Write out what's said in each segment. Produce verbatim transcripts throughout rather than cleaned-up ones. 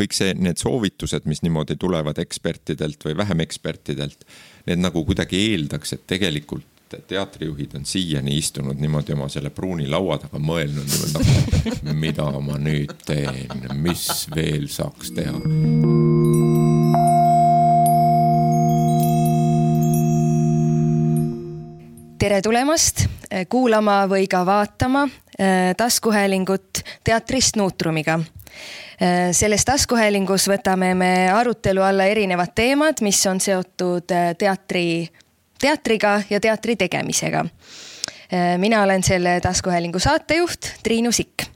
kõik see, need soovitused, mis niimoodi tulevad ekspertidelt või vähem ekspertidelt, need nagu kuidagi eeldaks, et tegelikult teatrijuhid on siiani istunud niimoodi oma selle pruuni laua taga mõelnud, niimoodi, mida ma nüüd teen, mis veel saaks teha. Tere tulemast kuulama või ka vaatama taskuhäälingut teatrist Nuutrumiga. Selles taskuhäälingus võtame me arutelu alla erinevad teemad, mis on seotud teatri, teatriga ja teatri tegemisega. Mina olen selle taskuhäälingu saatejuht Triinu Sikk.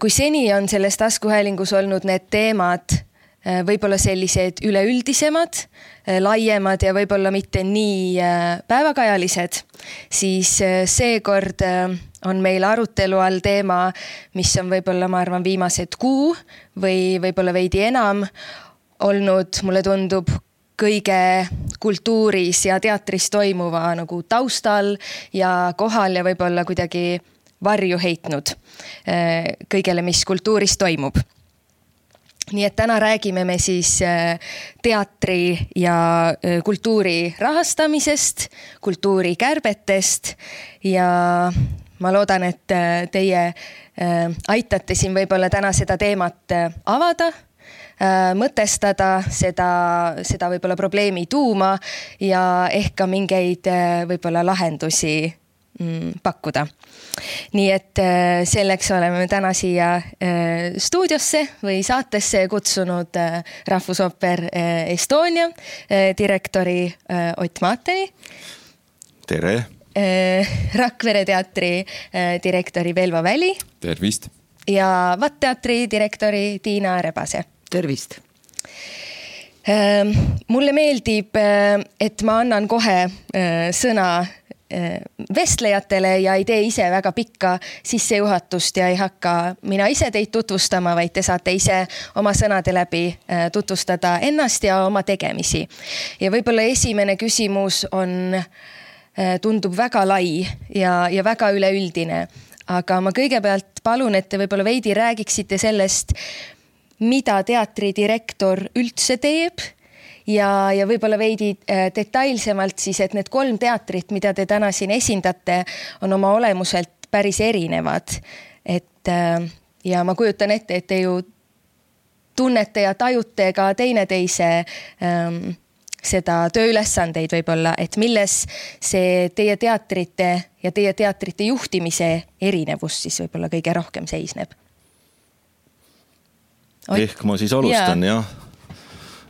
Kui seni on selles taskuhäälingus olnud need teemad võib-olla sellised üleüldisemad, laiemad ja võib-olla mitte nii päevakajalised, siis seekord on meil arutelu all teema, mis on võib-olla, ma arvan, viimased kuu või võib-olla veidi enam olnud, mulle tundub, kõige kultuuris ja teatris toimuva nagu taustal ja kohal ja võib-olla kuidagi varju heitnud kõigele, mis kultuuris toimub. Nii et täna räägime me siis teatri ja kultuuri rahastamisest, kultuuri kärbetest ja ma loodan, et teie aitate siin võib-olla täna seda teemat avada, mõtestada seda, seda võib-olla probleemi tuuma ja ehk ka mingeid võib-olla lahendusi pakkuda. Nii et selleks oleme täna siia stuudiosse või saatesse kutsunud Rahvusooper Estonia direktori Ott Maateni. Tere! Rakvere teatri direktori Velva Väli. Tervist! Ja Vat-teatri direktori Tiina Rebase. Tervist! Mulle meeldib, et ma annan kohe sõna vestlejatele ja ei tee ise väga pikka sissejuhatust ja ei hakka mina ise teid tutvustama, vaid te saate ise oma sõnade läbi tutvustada ennast ja oma tegemisi. Ja võib-olla esimene küsimus on, tundub väga lai ja, ja väga üleüldine, aga ma kõigepealt palun, et te võib-olla veidi räägiksite sellest, mida teatridirektor üldse teeb ja, ja võib-olla veidi detailsemalt siis, et need kolm teatrit, mida te täna siin esindate, on oma olemuselt päris erinevad. Et, ja ma kujutan ette, et te ju tunnete ja tajute ka teineteise ähm, seda tööülesandeid võib-olla, et milles see teie teatrite ja teie teatrite juhtimise erinevus siis võib-olla kõige rohkem seisneb. Ehk ma siis alustan, ja. jah.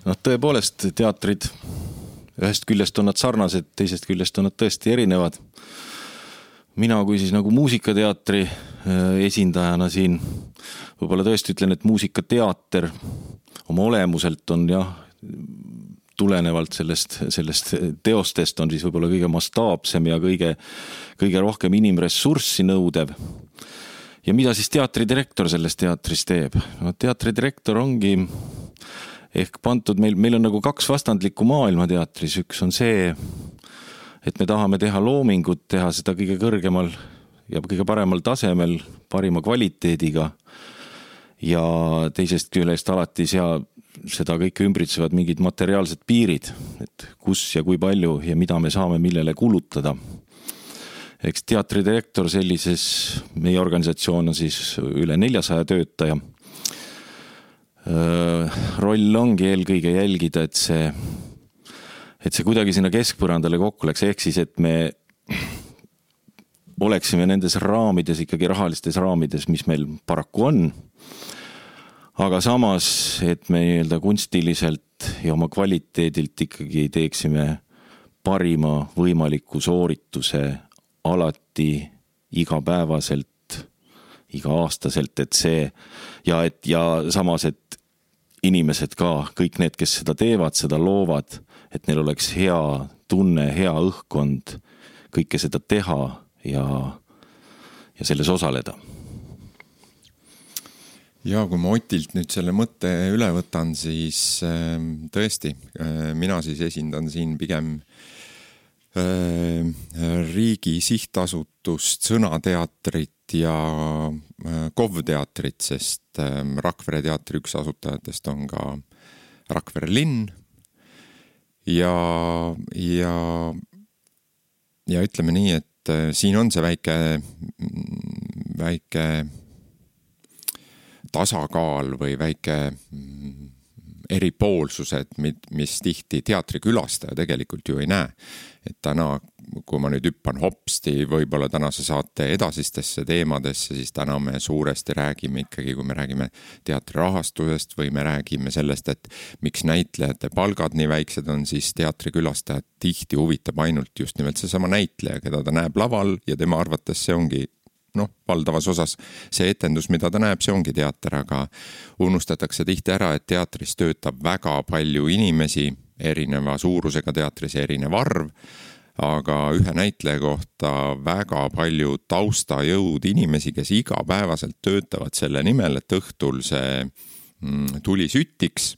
No, tõepoolest teatrid, ühest küljest on nad sarnased, teisest küljest on nad tõesti erinevad. Mina kui siis nagu muusikateatri esindajana siin võib-olla tõesti ütlen, et muusikateater oma olemuselt on jah, tulenevalt sellest, sellest teostest on siis võib-olla kõige mastaapsem ja kõige, kõige rohkem inimressurssi nõudev. Ja mida siis teatridirektor selles teatris teeb? No, teatridirektor ongi ehk pantud, meil, meil on nagu kaks vastandlikku maailma teatris. Üks on see, et me tahame teha loomingut, teha seda kõige kõrgemal ja kõige paremal tasemel, parima kvaliteediga. Ja teisest küljest alati sea, seda kõike ümbritsevad mingid materiaalsed piirid, et kus ja kui palju ja mida me saame millele kulutada. Eks teatridirektor sellises, meie organisatsioon on siis üle neljasaja töötaja. Roll ongi eelkõige jälgida, et see, et see kuidagi sinna keskpõrandale kokku läks, ehk siis, et me oleksime nendes raamides, ikkagi rahalistes raamides, mis meil paraku on, aga samas, et me nii-öelda kunstiliselt ja oma kvaliteedilt ikkagi teeksime parima võimaliku soorituse alati igapäevaselt, iga-aastaselt, et see ja, et, ja samas, et inimesed ka, kõik need, kes seda teevad, seda loovad, et neil oleks hea tunne, hea õhkkond, kõike seda teha ja, ja selles osaleda. Ja kui ma Otilt nüüd selle mõtte üle võtan, siis tõesti, mina siis esindan siin pigem riigi sihtasutust, Sõnateatrit ja K O V teatrit, sest Rakvere teatri üks asutajatest on ka Rakvere linn ja, ja, ja ütleme nii, et siin on see väike, väike tasakaal või väike eripoolsused, mis tihti teatrikülastaja tegelikult ju ei näe. Et täna, kui ma nüüd hüppan hopsti võib-olla tänase saate edasistesse teemadesse, siis täna me suuresti räägime ikkagi, kui me räägime teatri rahastusest või me räägime sellest, et miks näitlejate palgad nii väiksed on, siis teatrikülastajad tihti huvitab ainult just nimelt see sama näitleja, keda ta näeb laval ja tema arvates see ongi noh, valdavas osas see etendus, mida ta näeb, see ongi teater, aga unustatakse tihti ära, et teatris töötab väga palju inimesi, erineva suurusega teatris erinev arv, aga ühe näitleja kohta väga palju taustajõud inimesi, kes igapäevaselt töötavad selle nimel, et õhtul see tuli sütiks.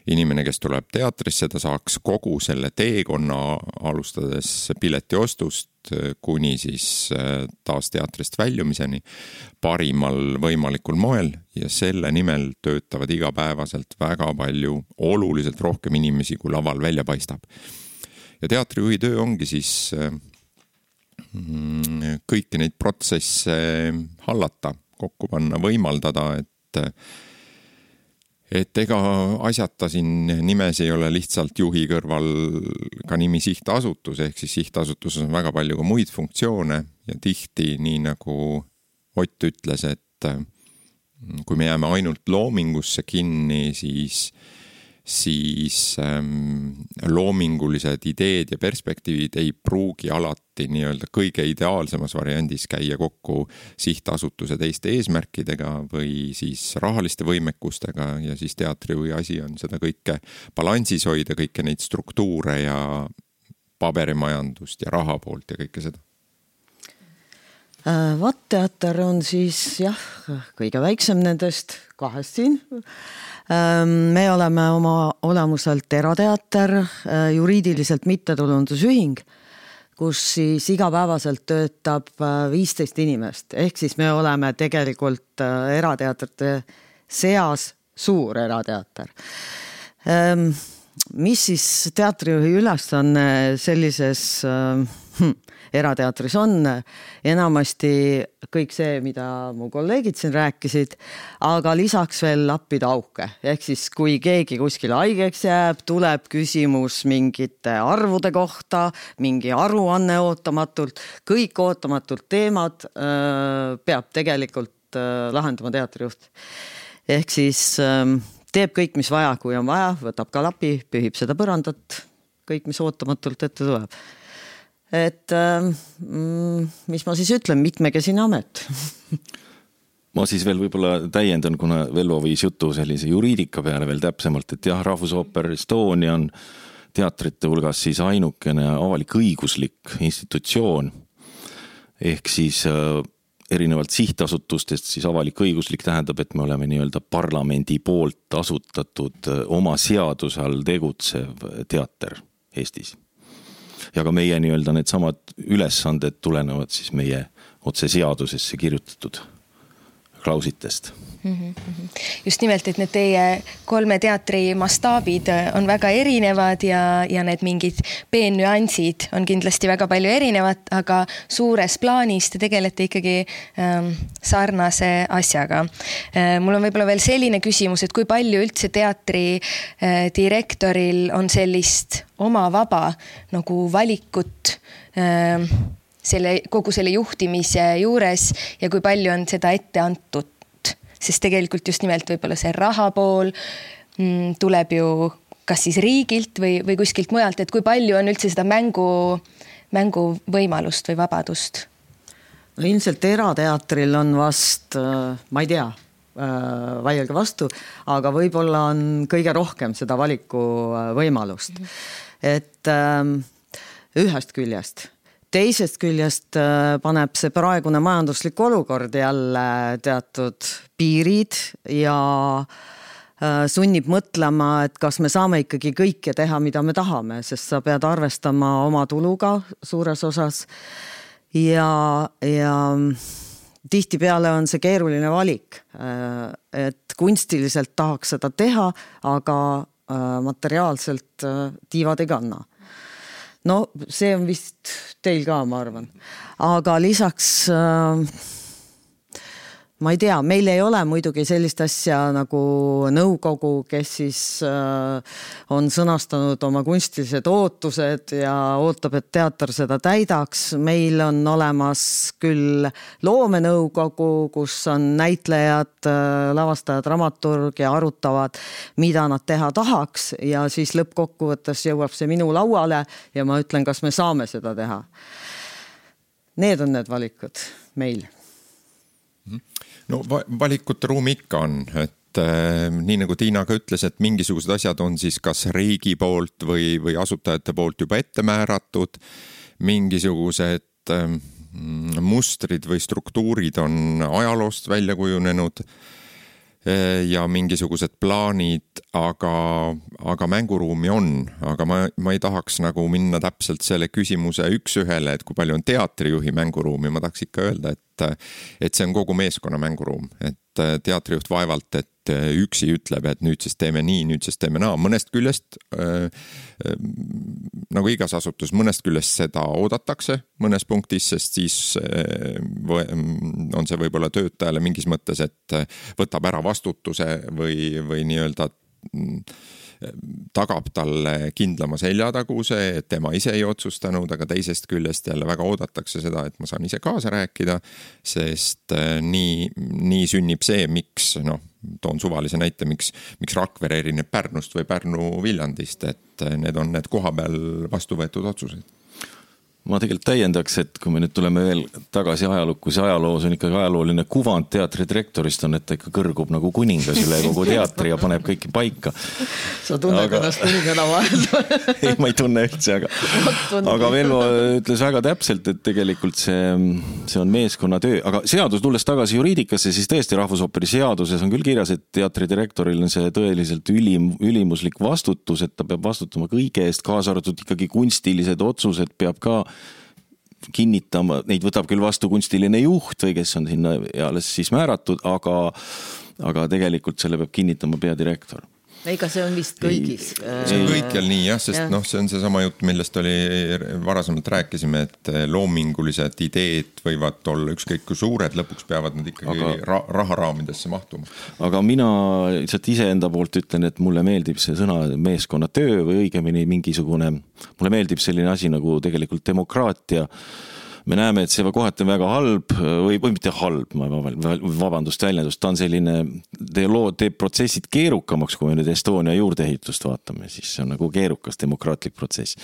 Inimene, kes tuleb teatrisse, ta saaks kogu selle teekonna alustades pileti ostust kuni siis taas teatrist väljumiseni parimal võimalikul moel ja selle nimel töötavad igapäevaselt väga palju oluliselt rohkem inimesi, kui laval välja paistab. Ja teatrijuhi töö ongi siis kõiki neid protsesse hallata, kokku panna, võimaldada, et et ega asjata siin nimes ei ole lihtsalt juhi kõrval ka nimi sihtasutus, ehk siis sihtasutuses on väga palju ka muid funktsioone ja tihti, nii nagu Ott ütles, et kui me jääme ainult loomingusse kinni, siis, siis ähm, loomingulised ideed ja perspektiivid ei pruugi alati nii-öelda kõige ideaalsemas variandis käia kokku sihtasutuse teiste eesmärkidega või siis rahaliste võimekustega ja siis teatrijuhi asi on seda kõike balansis hoida, kõike neid struktuure ja paberimajandust ja raha poolt ja kõike seda. Vatt-teater on siis jah, kõige väiksem nendest kahest siin. Me oleme oma olemuselt erateater, juriidiliselt mittetulundusühing, kus siis igapäevaselt töötab viisteist inimest. Ehk siis me oleme tegelikult erateatrite seas suur erateater. Mis siis teatrijuhi ülesanne sellises hm, erateatris on? Enamasti kõik see, mida mu kolleegid siin rääkisid, aga lisaks veel lappida auke. Ehk siis kui keegi kuskil haigeks jääb, tuleb küsimus mingite arvude kohta, mingi aruanne ootamatult, kõik ootamatult teemad äh, peab tegelikult äh, lahendama teatrijuht. Ehk siis äh, teeb kõik, mis vaja, kui on vaja, võtab ka lapi, pühib seda põrandat, kõik, mis ootamatult ette tuleb. Et mm, mis ma siis ütlen, mitmekesine amet. Ma siis veel võib-olla täiendan, kuna Velvo viis jutu sellise juriidika peale veel täpsemalt, et jah, Rahvusooper Estonia on teatrite hulgas siis ainukene avalik õiguslik institutsioon. Ehk siis äh, erinevalt sihtasutustest siis avalik õiguslik tähendab, et me oleme nii-öelda parlamendi poolt asutatud oma seaduse all tegutsev teater Eestis. Ja ka meie nii-öelda need samad ülesanded tulenevad siis meie otse seadusesse kirjutatud klausitest. Just nimelt, et need teie kolme teatri mastaabid on väga erinevad ja, ja need mingid peennüansid on kindlasti väga palju erinevad, aga suures plaanis te tegelete ikkagi ähm, sarnase asjaga. Äh, mul on võib-olla veel selline küsimus, et kui palju üldse teatri äh, direktoril on sellist oma vaba nagu valikut äh, selle, kogu selle juhtimise juures ja kui palju on seda ette antud? Sest tegelikult just nimelt võib-olla see raha pool mm, tuleb ju kas siis riigilt või, või kuskilt mujalt, et kui palju on üldse seda mängu, mängu võimalust või vabadust? No ilmselt erateatril on vast, ma ei tea, vaielge vastu, aga võib-olla on kõige rohkem seda valiku võimalust. Mm-hmm. Et ähm, ühest küljest. Teisest küljest paneb see praegune majanduslik olukord jälle teatud piirid ja sunnib mõtlema, et kas me saame ikkagi kõike teha, mida me tahame, sest sa pead arvestama oma tuluga suures osas ja, ja tihtipeale on see keeruline valik, et kunstiliselt tahaks seda teha, aga materiaalselt tiivad ei kanna. No see on vist teil ka, ma arvan. Aga lisaks ma ei tea, meil ei ole muidugi sellist asja nagu nõukogu, kes siis on sõnastanud oma kunstilised ootused ja ootab, et teater seda täidaks. Meil on olemas küll loomenõukogu, kus on näitlejad, lavastajad, dramaturg ja arutavad, mida nad teha tahaks ja siis lõppkokkuvõttes jõuab see minu lauale ja ma ütlen, kas me saame seda teha. Need on need valikud meil. No valikute ruumi ikka on, et äh, nii nagu Tiina ka ütles, et mingisugused asjad on siis kas riigi poolt või, või asutajate poolt juba ette määratud, mingisugused äh, mustrid või struktuurid on ajaloost välja kujunenud äh, ja mingisugused plaanid, aga, aga mänguruumi on, aga ma, ma ei tahaks nagu minna täpselt selle küsimuse üks ühele, et kui palju on teatrijuhi mänguruumi, ma tahaks ikka öelda, et et see on kogu meeskonna mänguruum, et teatrijuht vaevalt, et üksi ütleb, et nüüd siis teeme nii, nüüd siis teeme naa. Mõnest küljest, äh, äh, nagu igas asutus, mõnest küljest seda oodatakse mõnes punktis, sest siis äh, on see võib-olla töötajale mingis mõttes, et võtab ära vastutuse või, või nii-öelda tagab talle kindlama seljataguse, et tema ise ei otsustanud, aga teisest küljest jälle väga oodatakse seda, et ma saan ise kaasa rääkida, sest nii, nii sünnib see, miks, noh, toon suvalise näite, miks, miks Rakvere erineb Pärnust või Pärnu Viljandist, et need on need koha peal vastu võetud otsused. Ma tegelikult täiendaks, et kui me nüüd tuleme veel tagasi ajalukku, see ajaloos on ikkagi ajalooline kuvand teatri direktorist on, et ta ikka kõrgub nagu kuningas üle kogu teatri ja paneb kõiki paika. Sa tunned aga... ennast kuningana vahel? Ei, ma ei tunne üldse, aga, aga Velvo ütles väga täpselt, et tegelikult see, see on meeskonna töö, aga seadus tulles tagasi juriidikasse, siis tõesti Rahvusooperi seaduses on küll kirjas, et teatri direktoril on see tõeliselt ülim, ülimuslik vastutus, et ta peab vastutama kõige eest, kaasa arvatud ikkagi kunstilised otsused peab ka kinnitama, neid võtab küll vastu kunstiline juht või kes on sinna alles siis määratud, aga, aga tegelikult selle peab kinnitama peadirektor. Ega see on vist kõigis. See on kõikjal nii jah, sest ja. noh, see on see sama jutt, millest oli varasemalt rääkisime, et loomingulised ideed võivad olla ükskõik kui suured, lõpuks peavad nad ikkagi aga, ra raharaamidesse mahtuma. Aga mina lihtsalt iseenda poolt ütlen, et mulle meeldib see sõna meeskonna töö või õigemini mingisugune, mulle meeldib selline asi nagu tegelikult demokraatia. Me näeme, et see kohati on väga halb või, või mitte halb, ma vabandust väljendust, ta on selline, teeb protsessid keerukamaks, kui me nüüd Estonia juurdeehitust vaatame, siis see on nagu keerukas demokraatlik protsess.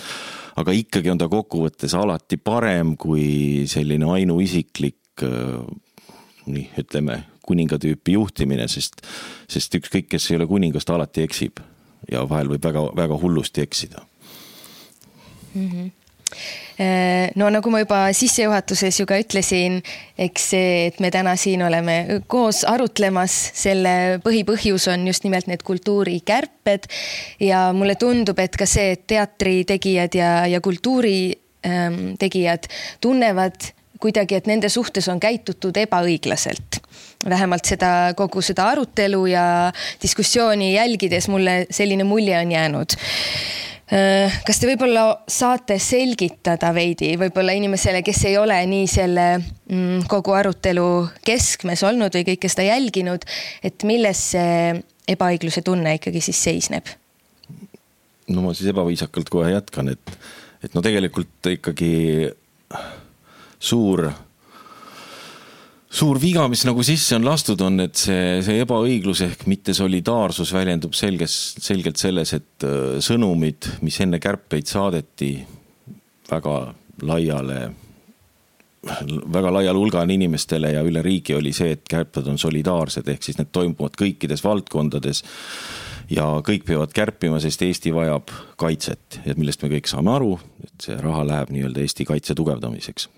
Aga ikkagi on ta kokkuvõttes alati parem kui selline ainuisiklik, nii ütleme, kuningatüüpi juhtimine, sest, sest ükskõik, kes ei ole kuningast, alati eksib ja vahel võib väga, väga hullusti eksida. Mhm. No nagu ma juba sissejuhatuses ju ka ütlesin, eks see, et me täna siin oleme koos arutlemas, selle põhipõhjus on just nimelt need kultuurikärped ja mulle tundub, et ka see, et teatri tegijad ja, ja kultuuri ähm, tegijad tunnevad kuidagi, et nende suhtes on käitutud ebaõiglaselt. Vähemalt seda, kogu seda arutelu ja diskussiooni jälgides mulle selline mulje on jäänud. Kas te võib-olla saate selgitada veidi, võib-olla inimesele, kes ei ole nii selle mm, kogu arutelu keskmes olnud või kõike seda jälginud, et milles see ebaõigluse tunne ikkagi siis seisneb? No ma siis ebaviisakalt kohe jätkan, et, et no tegelikult ikkagi suur Suur viga, mis nagu sisse on lastud, on, et see, see ebaõiglus ehk mitte solidaarsus väljendub selges, selgelt selles, et sõnumid, mis enne kärpeid saadeti väga laiale, väga laial hulgal inimestele ja üle riigi oli see, et kärped on solidaarsed, ehk siis need toimuvad kõikides valdkondades ja kõik peavad kärpima, sest Eesti vajab kaitset, et millest me kõik saame aru, et see raha läheb nii-öelda Eesti kaitse tugevdamiseks.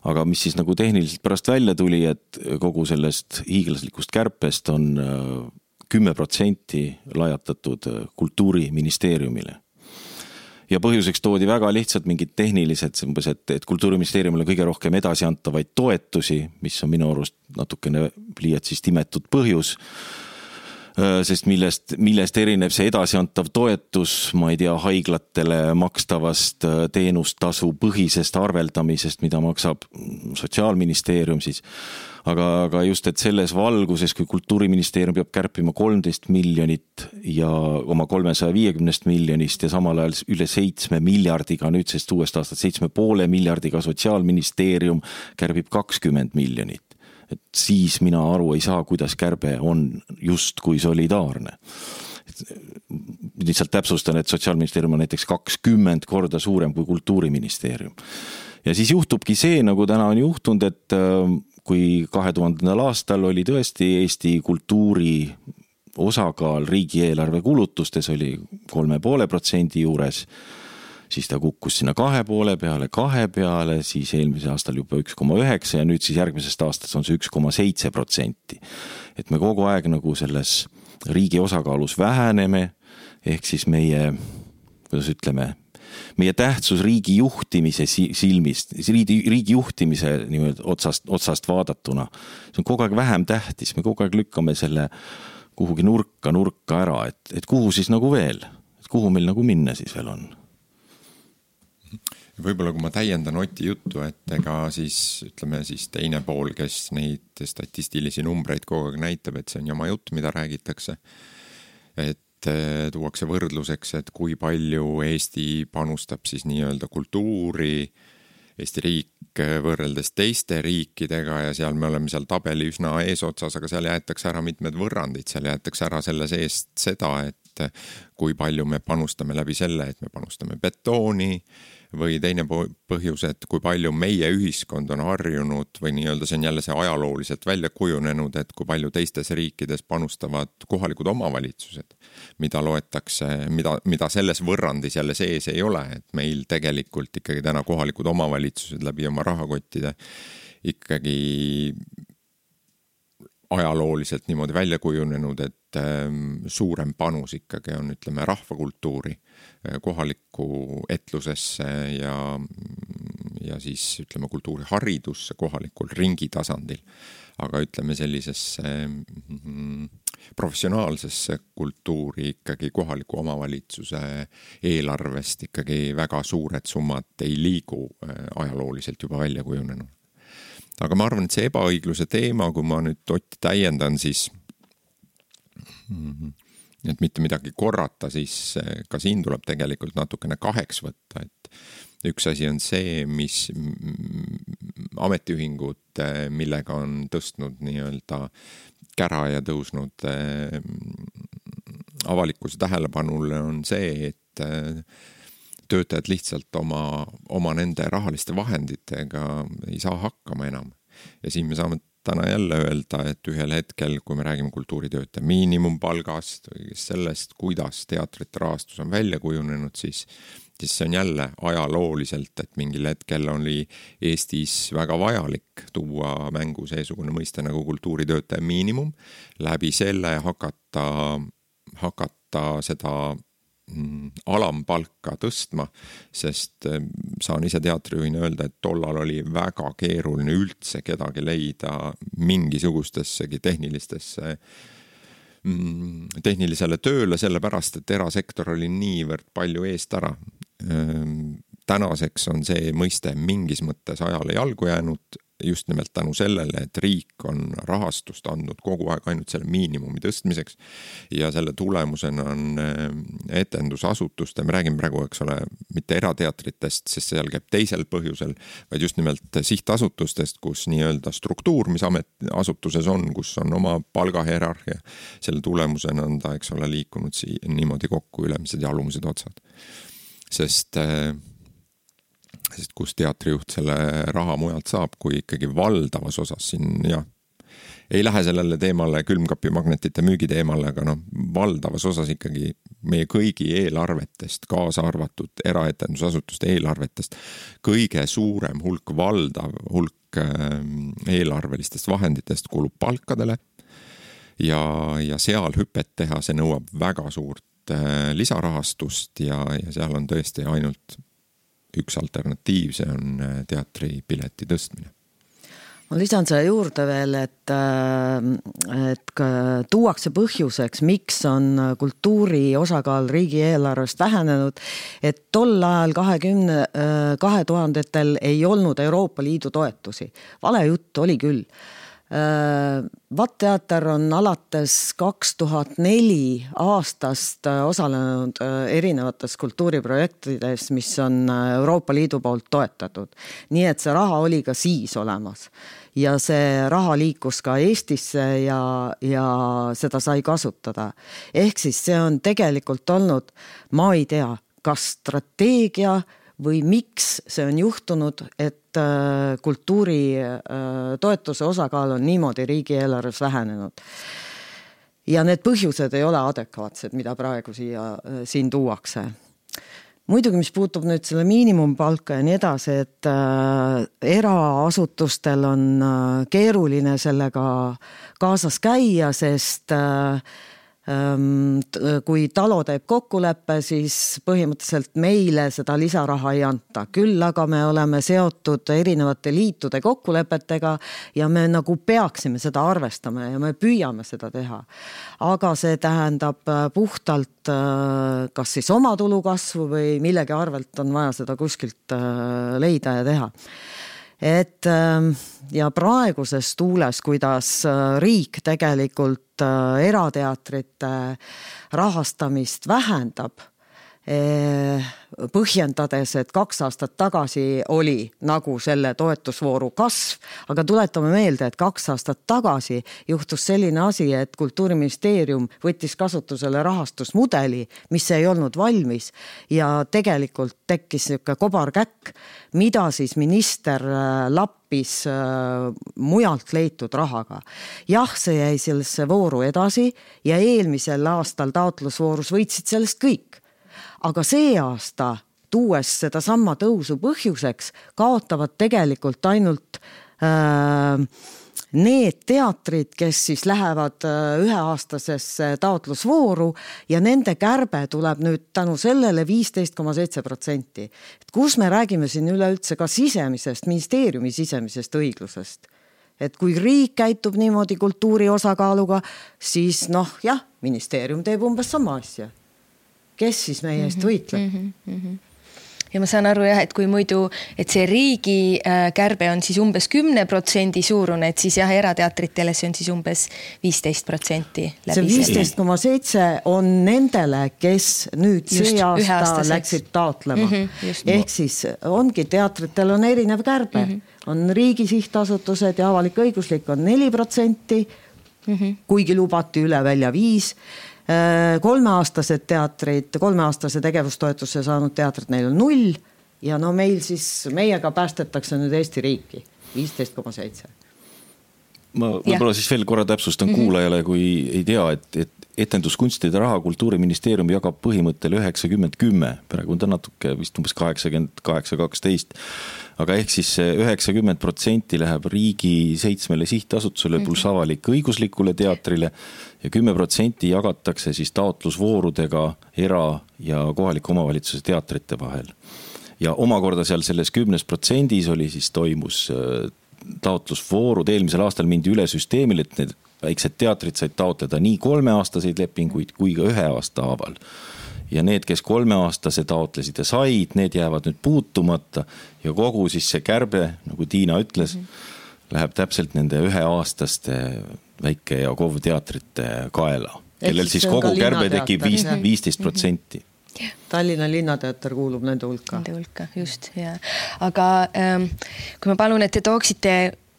Aga mis siis nagu tehniliselt pärast välja tuli, et kogu sellest hiiglaslikust kärpest on kümme protsenti lajatatud kultuuriministeeriumile. Ja põhjuseks toodi väga lihtsalt mingid tehnilised, umbes, et, et kultuuriministeeriumile kõige rohkem edasi antavaid toetusi, mis on minu arust natukene liialt siis timetud põhjus, sest millest, millest erineb see edasiantav toetus, ma ei tea, haiglatele makstavast teenustasu põhisest arveldamisest, mida maksab Sotsiaalministeerium siis. Aga, aga just, et selles valguses, kui kultuuriministeerium peab kärpima kolmteist miljonit ja oma kolmesaja viiekümnest miljonist ja samal ajal üle seitsme miljardiga, nüüd sest uuest aastat seitsme poole miljardiga Sotsiaalministeerium kärbib kakskümmend miljonit. Et siis mina aru ei saa, kuidas kärbe on just kui solidaarne. Lihtsalt täpsustan, et Sotsiaalministeerium on näiteks kakskümmend korda suurem kui kultuuriministeerium. Ja siis juhtubki see, nagu täna on juhtunud, et kui kahe tuhandendal aastal oli tõesti Eesti kultuuri osakaal riigieelarve kulutustes oli kolme poole protsendi juures, siis ta kukkus sinna kahe poole peale, kahe peale, siis eelmise aastal juba üks koma üheksa ja nüüd siis järgmisest aastast on see üks koma seitse protsenti. Et me kogu aeg nagu selles riigi osakaalus väheneme, ehk siis meie, kuidas ütleme, meie tähtsus riigi juhtimise silmist, riigi, riigi juhtimise niimoodi otsast, otsast vaadatuna, see on kogu aeg vähem tähtis, me kogu aeg lükkame selle kuhugi nurka, nurka ära, et, et kuhu siis nagu veel, et kuhu meil nagu minna siis veel on. Võib-olla kui ma täiendan Oti juttu, et ega siis ütleme siis teine pool, kes neid statistilisi numbreid kogu aeg näitab, et see on jama jutt, mida räägitakse, et tuuakse võrdluseks, et kui palju Eesti panustab siis nii-öelda kultuuri, Eesti riik võrreldes teiste riikidega ja seal me oleme seal tabeli üsna eesotsas, aga seal jäetakse ära mitmed võrrandid, seal jäetakse ära selle seest seda, et kui palju me panustame läbi selle, et me panustame betooni või teine põhjus, et kui palju meie ühiskond on harjunud või nii-öelda see on jälle see ajalooliselt välja kujunenud, et kui palju teistes riikides panustavad kohalikud omavalitsused, mida loetakse, mida, mida selles võrrandis jälle sees ei ole, et meil tegelikult ikkagi täna kohalikud omavalitsused läbi oma rahakottide ikkagi ajalooliselt niimoodi välja kujunenud, et suurem panus ikkagi on, ütleme, rahvakultuuri kohalikku etlusesse ja, ja siis, ütleme, kultuuriharidusse kohalikul ringi tasandil. Aga ütleme sellisesse mm, professionaalsesse kultuuri ikkagi kohaliku omavalitsuse eelarvest ikkagi väga suured summad ei liigu ajalooliselt juba välja kujunenud. Aga ma arvan, et see ebaõigluse teema, kui ma nüüd Otti täiendan, siis et mitte midagi korrata, siis ka siin tuleb tegelikult natukene kaheks võtta, et üks asi on see, mis ametiühingud, millega on tõstnud nii-öelda kära ja tõusnud avalikkuse tähelepanule, on see, et töötajad lihtsalt oma, oma nende rahaliste vahenditega ei saa hakkama enam. Ja siin me saame täna jälle öelda, et ühel hetkel, kui me räägime kultuuritöötaja miinimumpalgast või sellest, kuidas teatrite rahastus on välja kujunenud, siis, siis see on jälle ajalooliselt, et mingil hetkel oli Eestis väga vajalik tuua mängu seesugune mõiste nagu kultuuritöötaja miinimum, läbi selle hakata, hakata seda alampalka tõstma, sest saan ise teatrijuhina öelda, et tollal oli väga keeruline üldse kedagi leida mingisugustessegi tehnilistesse tehnilisele tööle, sellepärast, et erasektor oli niivõrd palju eest ära. Tänaseks on see mõiste mingis mõttes ajale jalgu jäänud, just nimelt tänu sellele, et riik on rahastust andnud kogu aeg ainult selle miinimumi tõstmiseks ja selle tulemusena on etendusasutuste, me räägime praegu, eks ole, mitte erateatritest, sest seal käib teisel põhjusel, vaid just nimelt sihtasutustest, kus nii-öelda struktuur, mis asutuses on, kus on oma palgahierarhia, selle tulemusena on ta, eks ole, liikunud sii, niimoodi kokku ülemised ja alumised otsad. Sest sest kus teatrijuht selle raha mujalt saab, kui ikkagi valdavas osas siin, jah, ei lähe sellele teemale külmkapimagnetite müügi teemale, aga noh, valdavas osas ikkagi meie kõigi eelarvetest, kaasa arvatud eraetendusasutuste eelarvetest, kõige suurem hulk, valdav hulk eelarvelistest vahenditest kulub palkadele ja, ja seal hüpet teha, see nõuab väga suurt lisarahastust ja, ja seal on tõesti ainult üks alternatiiv, see on teatripileti tõstmine. Ma lisan selle juurde veel, et, et tuuakse põhjuseks, miks on kultuuri osakaal riigieelarvest vähenenud, et tol ajal kahekümne, kahe tuhandetel ei olnud Euroopa Liidu toetusi. Vale jutt oli küll. Vatteater on alates kaks tuhat neli aastast osalenud erinevates kultuuriprojektides, mis on Euroopa Liidu poolt toetatud. Nii et see raha oli ka siis olemas ja see raha liikus ka Eestisse ja, ja seda sai kasutada. Ehk siis see on tegelikult olnud, ma ei tea, kas strateegia või miks see on juhtunud, et kultuuri toetuse osakaal on niimoodi riigieelarves vähenenud. Ja need põhjused ei ole adekvaatsed, mida praegu siia, siin tuuakse. Muidugi, mis puutub nüüd selle miinimumpalka ja nii edasi, et eraasutustel on keeruline sellega kaasas käia, sest kui talo teeb kokkuleppe, siis põhimõtteliselt meile seda lisaraha ei anta. Küll aga me oleme seotud erinevate liitude kokkulepetega ja me nagu peaksime seda arvestama ja me püüame seda teha. Aga see tähendab puhtalt kas siis oma tulu kasvu või millegi arvelt on vaja seda kuskilt leida ja teha. Et ja praeguses tuules, kuidas riik tegelikult erateatrite rahastamist vähendab, põhjendades, et kaks aastat tagasi oli nagu selle toetusvooru kasv, aga tuletame meelde, et kaks aastat tagasi juhtus selline asi, et Kultuuriministeerium võttis kasutusele rahastusmudeli, mis ei olnud valmis ja tegelikult tekkis niisugune kobarkäkk, mida siis minister lappis mujalt leitud rahaga. Jah, see jäi sellesse vooru edasi ja eelmisel aastal taotlusvoorus võitsid sellest kõik. Aga see aasta, tuues seda samma tõusu põhjuseks, kaotavad tegelikult ainult äh, need teatrid, kes siis lähevad üheaastasesse taotlusvooru ja nende kärbe tuleb nüüd tänu sellele viisteist koma seitse protsenti. Et kus me räägime siin üleüldse ka sisemisest, ministeeriumi sisemisest õiglusest. Et kui riik käitub niimoodi kultuuri osakaaluga, siis noh, jah, ministeerium teeb umbes sama asja. Kes siis meie eest võitleb? Mm-hmm, mm-hmm. Ja ma saan aru jah, et kui muidu, et see riigi kärbe on siis umbes kümne protsendi suurune, et siis jah, erateatritele see on siis umbes viisteist protsenti. See viisteist koma seitse on nendele, kes nüüd just see aasta läksid taotlema. Mm-hmm, ehk siis ongi, teatritel on erinev kärbe. Mm-hmm. On riigi sihtasutused ja avalik õiguslik on neli protsenti, mm-hmm. kuigi lubati üle välja viis. Kolmeaastased teatrid, kolmeaastase tegevustoetuse saanud teatrid, neil on null ja no meil siis, meiega päästetakse nüüd Eesti riiki, viisteist koma seitse. Ma võib-olla siis veel korra täpsustan mm-hmm. kuulajale, kui ei tea, et, et etenduskunstide raha Kultuuriministeerium jagab põhimõttel üheksakümmend kümme, praegu on ta natuke vist umbes kaheksakümmend kaheksa kaksteist, aga ehk siis üheksakümmend protsenti läheb riigi seitsmele sihtasutusele pluss avalik õiguslikule teatrile ja kümme protsenti jagatakse siis taotlusvoorudega era- ja kohaliku omavalitsuse teatrite vahel. Ja omakorda seal selles kümnes protsendis oli siis toimus taotlusvoorud, eelmisel aastal mindi üle süsteemil, et need väiksed teatrid said taotleda nii kolmeaastaseid lepinguid kui ka ühe aasta haaval. Ja need, kes kolmeaastase taotlesid ja said, need jäävad nüüd puutumata ja kogu siis see kärbe, nagu Tiina ütles, mm-hmm. läheb täpselt nende üheaastaste väike- ja kovteatrite kaela, kellel siis kogu kärbe tekib viisteist protsenti. Tallinna linnateater kuulub nende hulka. Nende hulka, just, ja. Aga ähm, kui ma palun, et te tooksite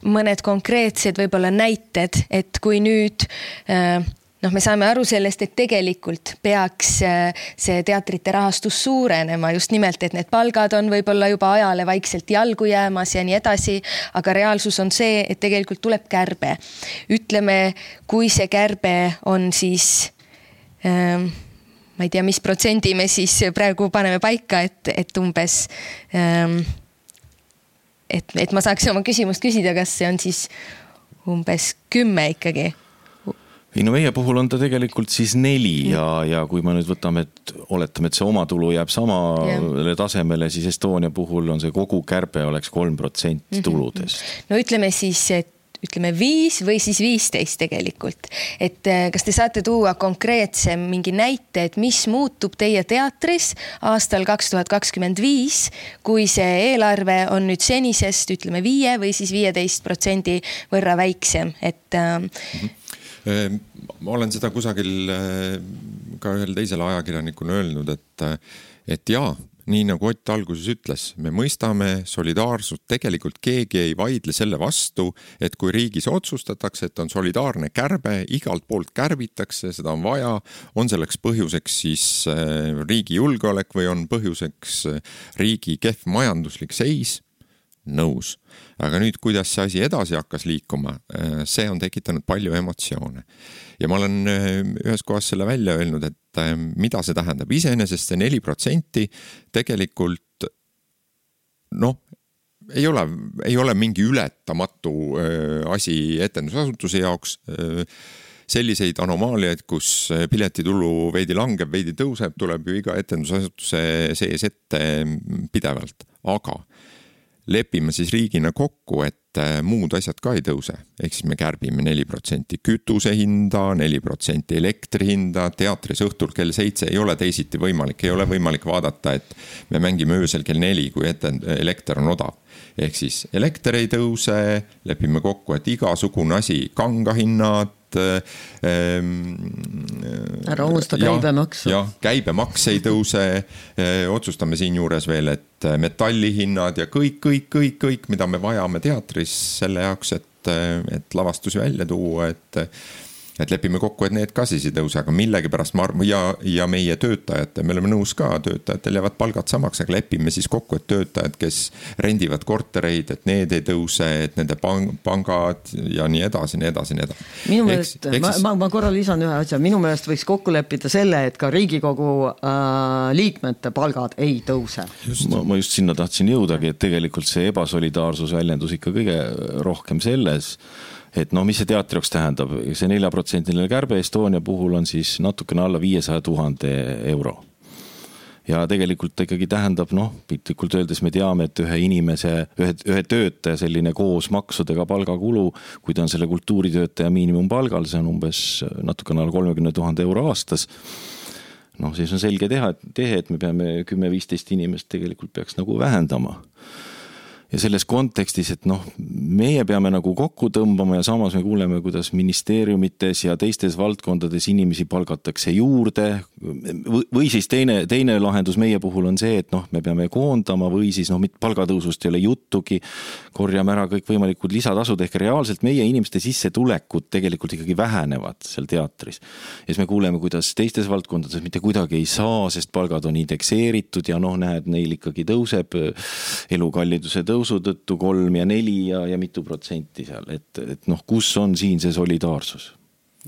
mõned konkreetsed võib-olla näited, et kui nüüd äh, noh, me saame aru sellest, et tegelikult peaks see teatrite rahastus suurenema just nimelt, et need palgad on võib-olla juba ajale vaikselt jalgu jäämas ja nii edasi, aga reaalsus on see, et tegelikult tuleb kärbe. Ütleme, kui see kärbe on siis ähm, ma ei tea, mis protsendi me siis praegu paneme paika, et, et umbes ähm, et, et ma saaks oma küsimust küsida, kas see on siis umbes kümme ikkagi? ei no meie puhul on ta tegelikult siis neli ja, ja kui ma nüüd võtame, et oletame, et see omatulu jääb samale yeah. tasemele, siis Estonia puhul on see kogu kärbe oleks kolm protsenti tuludest. No ütleme siis, et ütleme viis või siis viisteist tegelikult. Et kas te saate tuua konkreetse mingi näite, et mis muutub teie teatris aastal kaks tuhat kakskümmend viis, kui see eelarve on nüüd senisest, ütleme viie või siis viieteist protsendi võrra väiksem, et mm-hmm. Ma olen seda kusagil ka ühel teisel ajakirjanikuna öelnud, et, et jaa, nii nagu Ott alguses ütles, me mõistame solidaarsust, tegelikult keegi ei vaidle selle vastu, et kui riigis otsustatakse, et on solidaarne kärbe, igalt poolt kärbitakse, seda on vaja, on selleks põhjuseks siis riigi julgeolek või on põhjuseks riigi kehv majanduslik seis, nõus. Aga nüüd, kuidas see asi edasi hakkas liikuma, see on tekitanud palju emotsioone. Ja ma olen ühes kohas selle välja öelnud, et mida see tähendab. Iseenesest see neli protsenti tegelikult noh, ei ole, ei ole mingi ületamatu asi etendusasutuse jaoks. Selliseid anomaaliaid, kus piletitulu veidi langeb, veidi tõuseb, tuleb ju iga etendusasutuse sees ette pidevalt. Aga lepime siis riigina kokku, et muud asjad ka ei tõuse. Ehk siis me kärbime neli protsenti kütuse hinda, neli protsenti elektri hinda, teatris õhtul kell seitse ei ole teisiti võimalik. Ei ole võimalik vaadata, et me mängime öösel kell neli, kui ette elekter on odav. Ehk siis elekter ei tõuse, lepime kokku, et igasugune asi, kangahinnad, ära unusta käibemaks. Ja, käibemaks ei tõuse, otsustame siin juures veel, et metallihinnad ja kõik, kõik, kõik, kõik, mida me vajame teatris selle jaoks, et, et lavastusi välja tuua, et et lepime kokku, et need ka siis ei tõuse, aga millegi pärast ma arvan, ja, ja meie töötajate, me oleme nõus ka, töötajatel jäävad palgad samaks, aga lepime siis kokku, et töötajad, kes rendivad kortereid, et need ei tõuse, et nende pangad ja nii edasi, nii edasi, nii edasi. Minu meelest, ma, ma, ma korra lisan ühe asja, minu meelest võiks kokku leppida selle, et ka Riigikogu äh, liikmete palgad ei tõuse. Ma, ma just sinna tahtsin jõudagi, et tegelikult see ebasolidaarsus väljendus ikka kõige rohkem selles, et no mis see teatri jaoks tähendab, see nelja protsendiline kärbe Estonia puhul on siis natukene alla viiesaja tuhande euro. Ja tegelikult ikkagi tähendab, noh, piltlikult öeldes me teame, et ühe inimese, ühe, ühe töötaja selline koos maksudega palgakulu, kui ta on selle kultuuritöötaja miinimumpalgal, see on umbes natukene alla kolmekümne tuhande euro aastas. Noh, siis on selge teha, et, tehe, et me peame kümme viisteist inimest tegelikult peaks nagu vähendama. Ja selles kontekstis, et noh, meie peame nagu kokku tõmbama ja samas me kuuleme, kuidas ministeeriumites ja teistes valdkondades inimesi palgatakse juurde või siis teine, teine lahendus meie puhul on see, et noh, me peame koondama või siis noh, palgatõusust ei ole juttugi, korjame ära kõik võimalikud lisatasud ehk reaalselt meie inimeste sissetulekud tegelikult ikkagi vähenevad seal teatris. Ja siis me kuuleme, kuidas teistes valdkondades mitte kuidagi ei saa, sest palgad on indekseeritud ja noh, näed, neil ikkagi tõuseb elukalliduse tõuseb tõusu tõttu kolm ja neli ja, ja mitu protsenti seal, et, et noh, kus on siin see solidaarsus?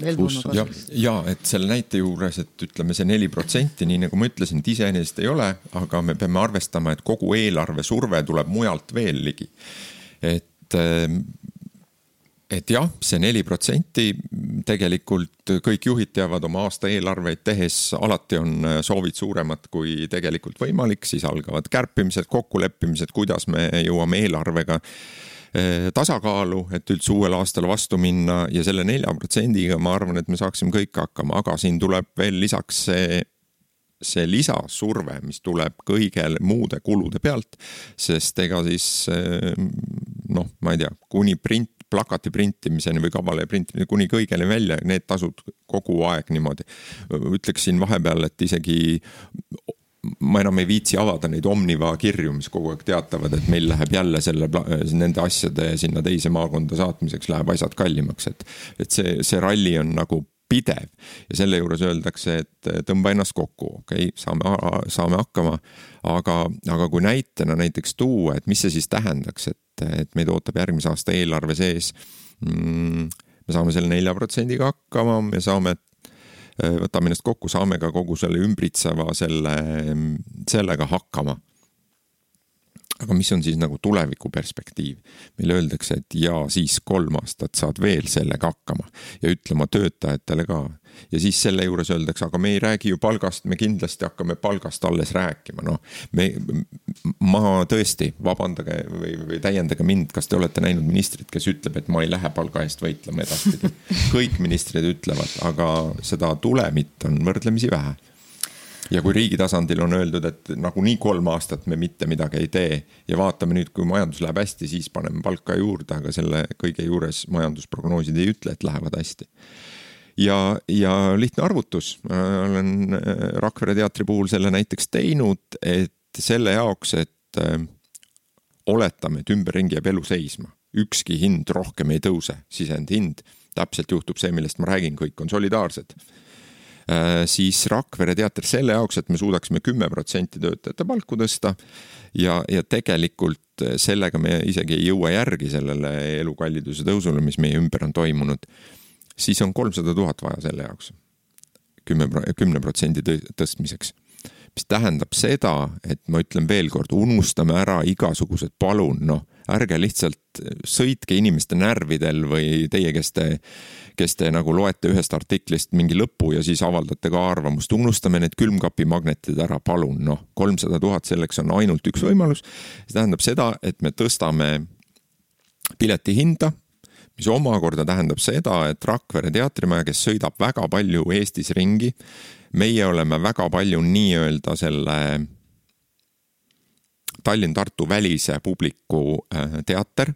Ja, ja, et selle näite juures, et ütleme see neli protsenti, nii nagu ma ütlesin, et iseenesest ei ole, aga me peame arvestama, et kogu eelarve surve tuleb mujalt veel ligi. Et, et jah, see neli protsenti tegelikult kõik juhid teavad oma aasta eelarveid tehes, alati on soovid suuremad kui tegelikult võimalik, siis algavad kärpimised, kokkuleppimised, kuidas me jõuame eelarvega tasakaalu, et üldse uuel aastal vastu minna ja selle nelja protsendiga ma arvan, et me saaksime kõik hakkama, aga siin tuleb veel lisaks see see lisasurve, mis tuleb kõigel muude kulude pealt, sest ega siis noh, ma ei tea, kuni print, plakati printimiseni või kavale printimiseni, kuni kõigele välja, need tasud kogu aeg niimoodi. Ütleksin vahepeal, et isegi ma enam ei viitsi avada neid Omniva kirju, mis kogu aeg teatavad, et meil läheb jälle selle, nende asjade sinna teise maakonda saatmiseks läheb asjad kallimaks, et, et see, see ralli on nagu pidev ja selle juures öeldakse, et tõmba ennast kokku, okei, okay, saame, saame hakkama, aga, aga kui näitena näiteks tuua, et mis see siis tähendaks, et, et meid ootab järgmise aasta eelarve sees, mm, me saame selle nelja protsendiga hakkama, me saame, võtame ennast kokku, saame ka kogu selle ümbritseva selle, sellega hakkama. aga mis on siis nagu tuleviku perspektiiv? Meile öeldakse, et jaa, siis kolm aastat saad veel sellega hakkama ja ütlema töötajatele ka. Ja siis selle juures öeldakse, aga me ei räägi ju palgast, me kindlasti hakkame palgast alles rääkima. No, me, ma tõesti, vabandage või, või täiendage mind, kas te olete näinud ministrit, kes ütleb, et ma ei lähe palga eest võitlema edaspidi. Kõik ministrid ütlevad, aga seda tulemit on võrdlemisi vähe. Ja kui riigi tasandil on öeldud, et nagu nii kolm aastat me mitte midagi ei tee ja vaatame nüüd, kui majandus läheb hästi, siis paneme palka juurde, aga selle kõige juures majandusprognoosid ei ütle, et lähevad hästi. Ja, ja lihtne arvutus, olen Rakvere teatri puhul selle näiteks teinud, et selle jaoks, et oletame, et ümberringi jääb elu seisma. Ükski hind rohkem ei tõuse, sisend hind. Täpselt juhtub see, millest ma räägin, kõik on solidaarsed. Siis Rakvere teater selle jaoks, et me suudaksime kümme protsenti töötajate palku tõsta ja, ja tegelikult sellega me isegi ei jõua järgi sellele elukalliduse tõusule, mis meie ümber on toimunud, siis on kolmsada tuhat vaja selle jaoks kümne protsendi tõstmiseks. Mis tähendab seda, et ma ütlen veel kord, unustame ära igasugused palun, noh, ärge lihtsalt sõitke inimeste närvidel või teie, kes te, kes te nagu loete ühest artiklist mingi lõpu ja siis avaldate ka arvamust. Unustame need külmkapi magnetid ära, palun, noh, kolmsada tuhat selleks on ainult üks võimalus. See tähendab seda, et me tõstame pileti hinda, mis omakorda tähendab seda, et Rakvere teatrimaja, kes sõidab väga palju Eestis ringi, meie oleme väga palju nii-öelda selle Tallinn-Tartu välise publiku teater.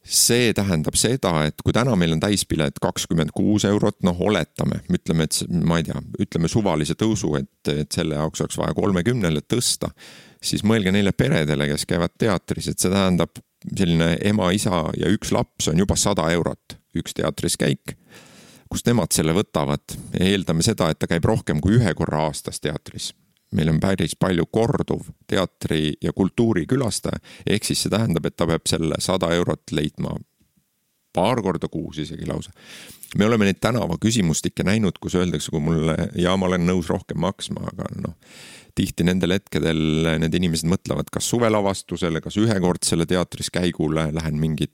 See tähendab seda, et kui täna meil on täispilet kakskümmend kuus eurot, noh oletame, ütleme, et ma ei tea, ütleme suvalise tõusu, et, et selle jaoks oleks vaja kolmekümnele tõsta, siis mõelge neile peredele, kes käivad teatris, et see tähendab selline ema, isa ja üks laps on juba sada eurot, üks teatris käik, kus nemad selle võtavad. Eeldame seda, et ta käib rohkem kui ühe korra aastas teatris. Meil on päris palju korduv teatri ja kultuuri külastaja, ehk siis see tähendab, et ta peab selle sada eurot leidma paar korda kuus isegi lausa. Me oleme neid tänava küsimustikke näinud, kus öeldakse, kui mulle, ja ma olen nõus rohkem maksma, aga noh, tihti nendel hetkedel need inimesed mõtlevad, kas suvelavastusele, kas ühekordsele teatris käigule lähen mingit,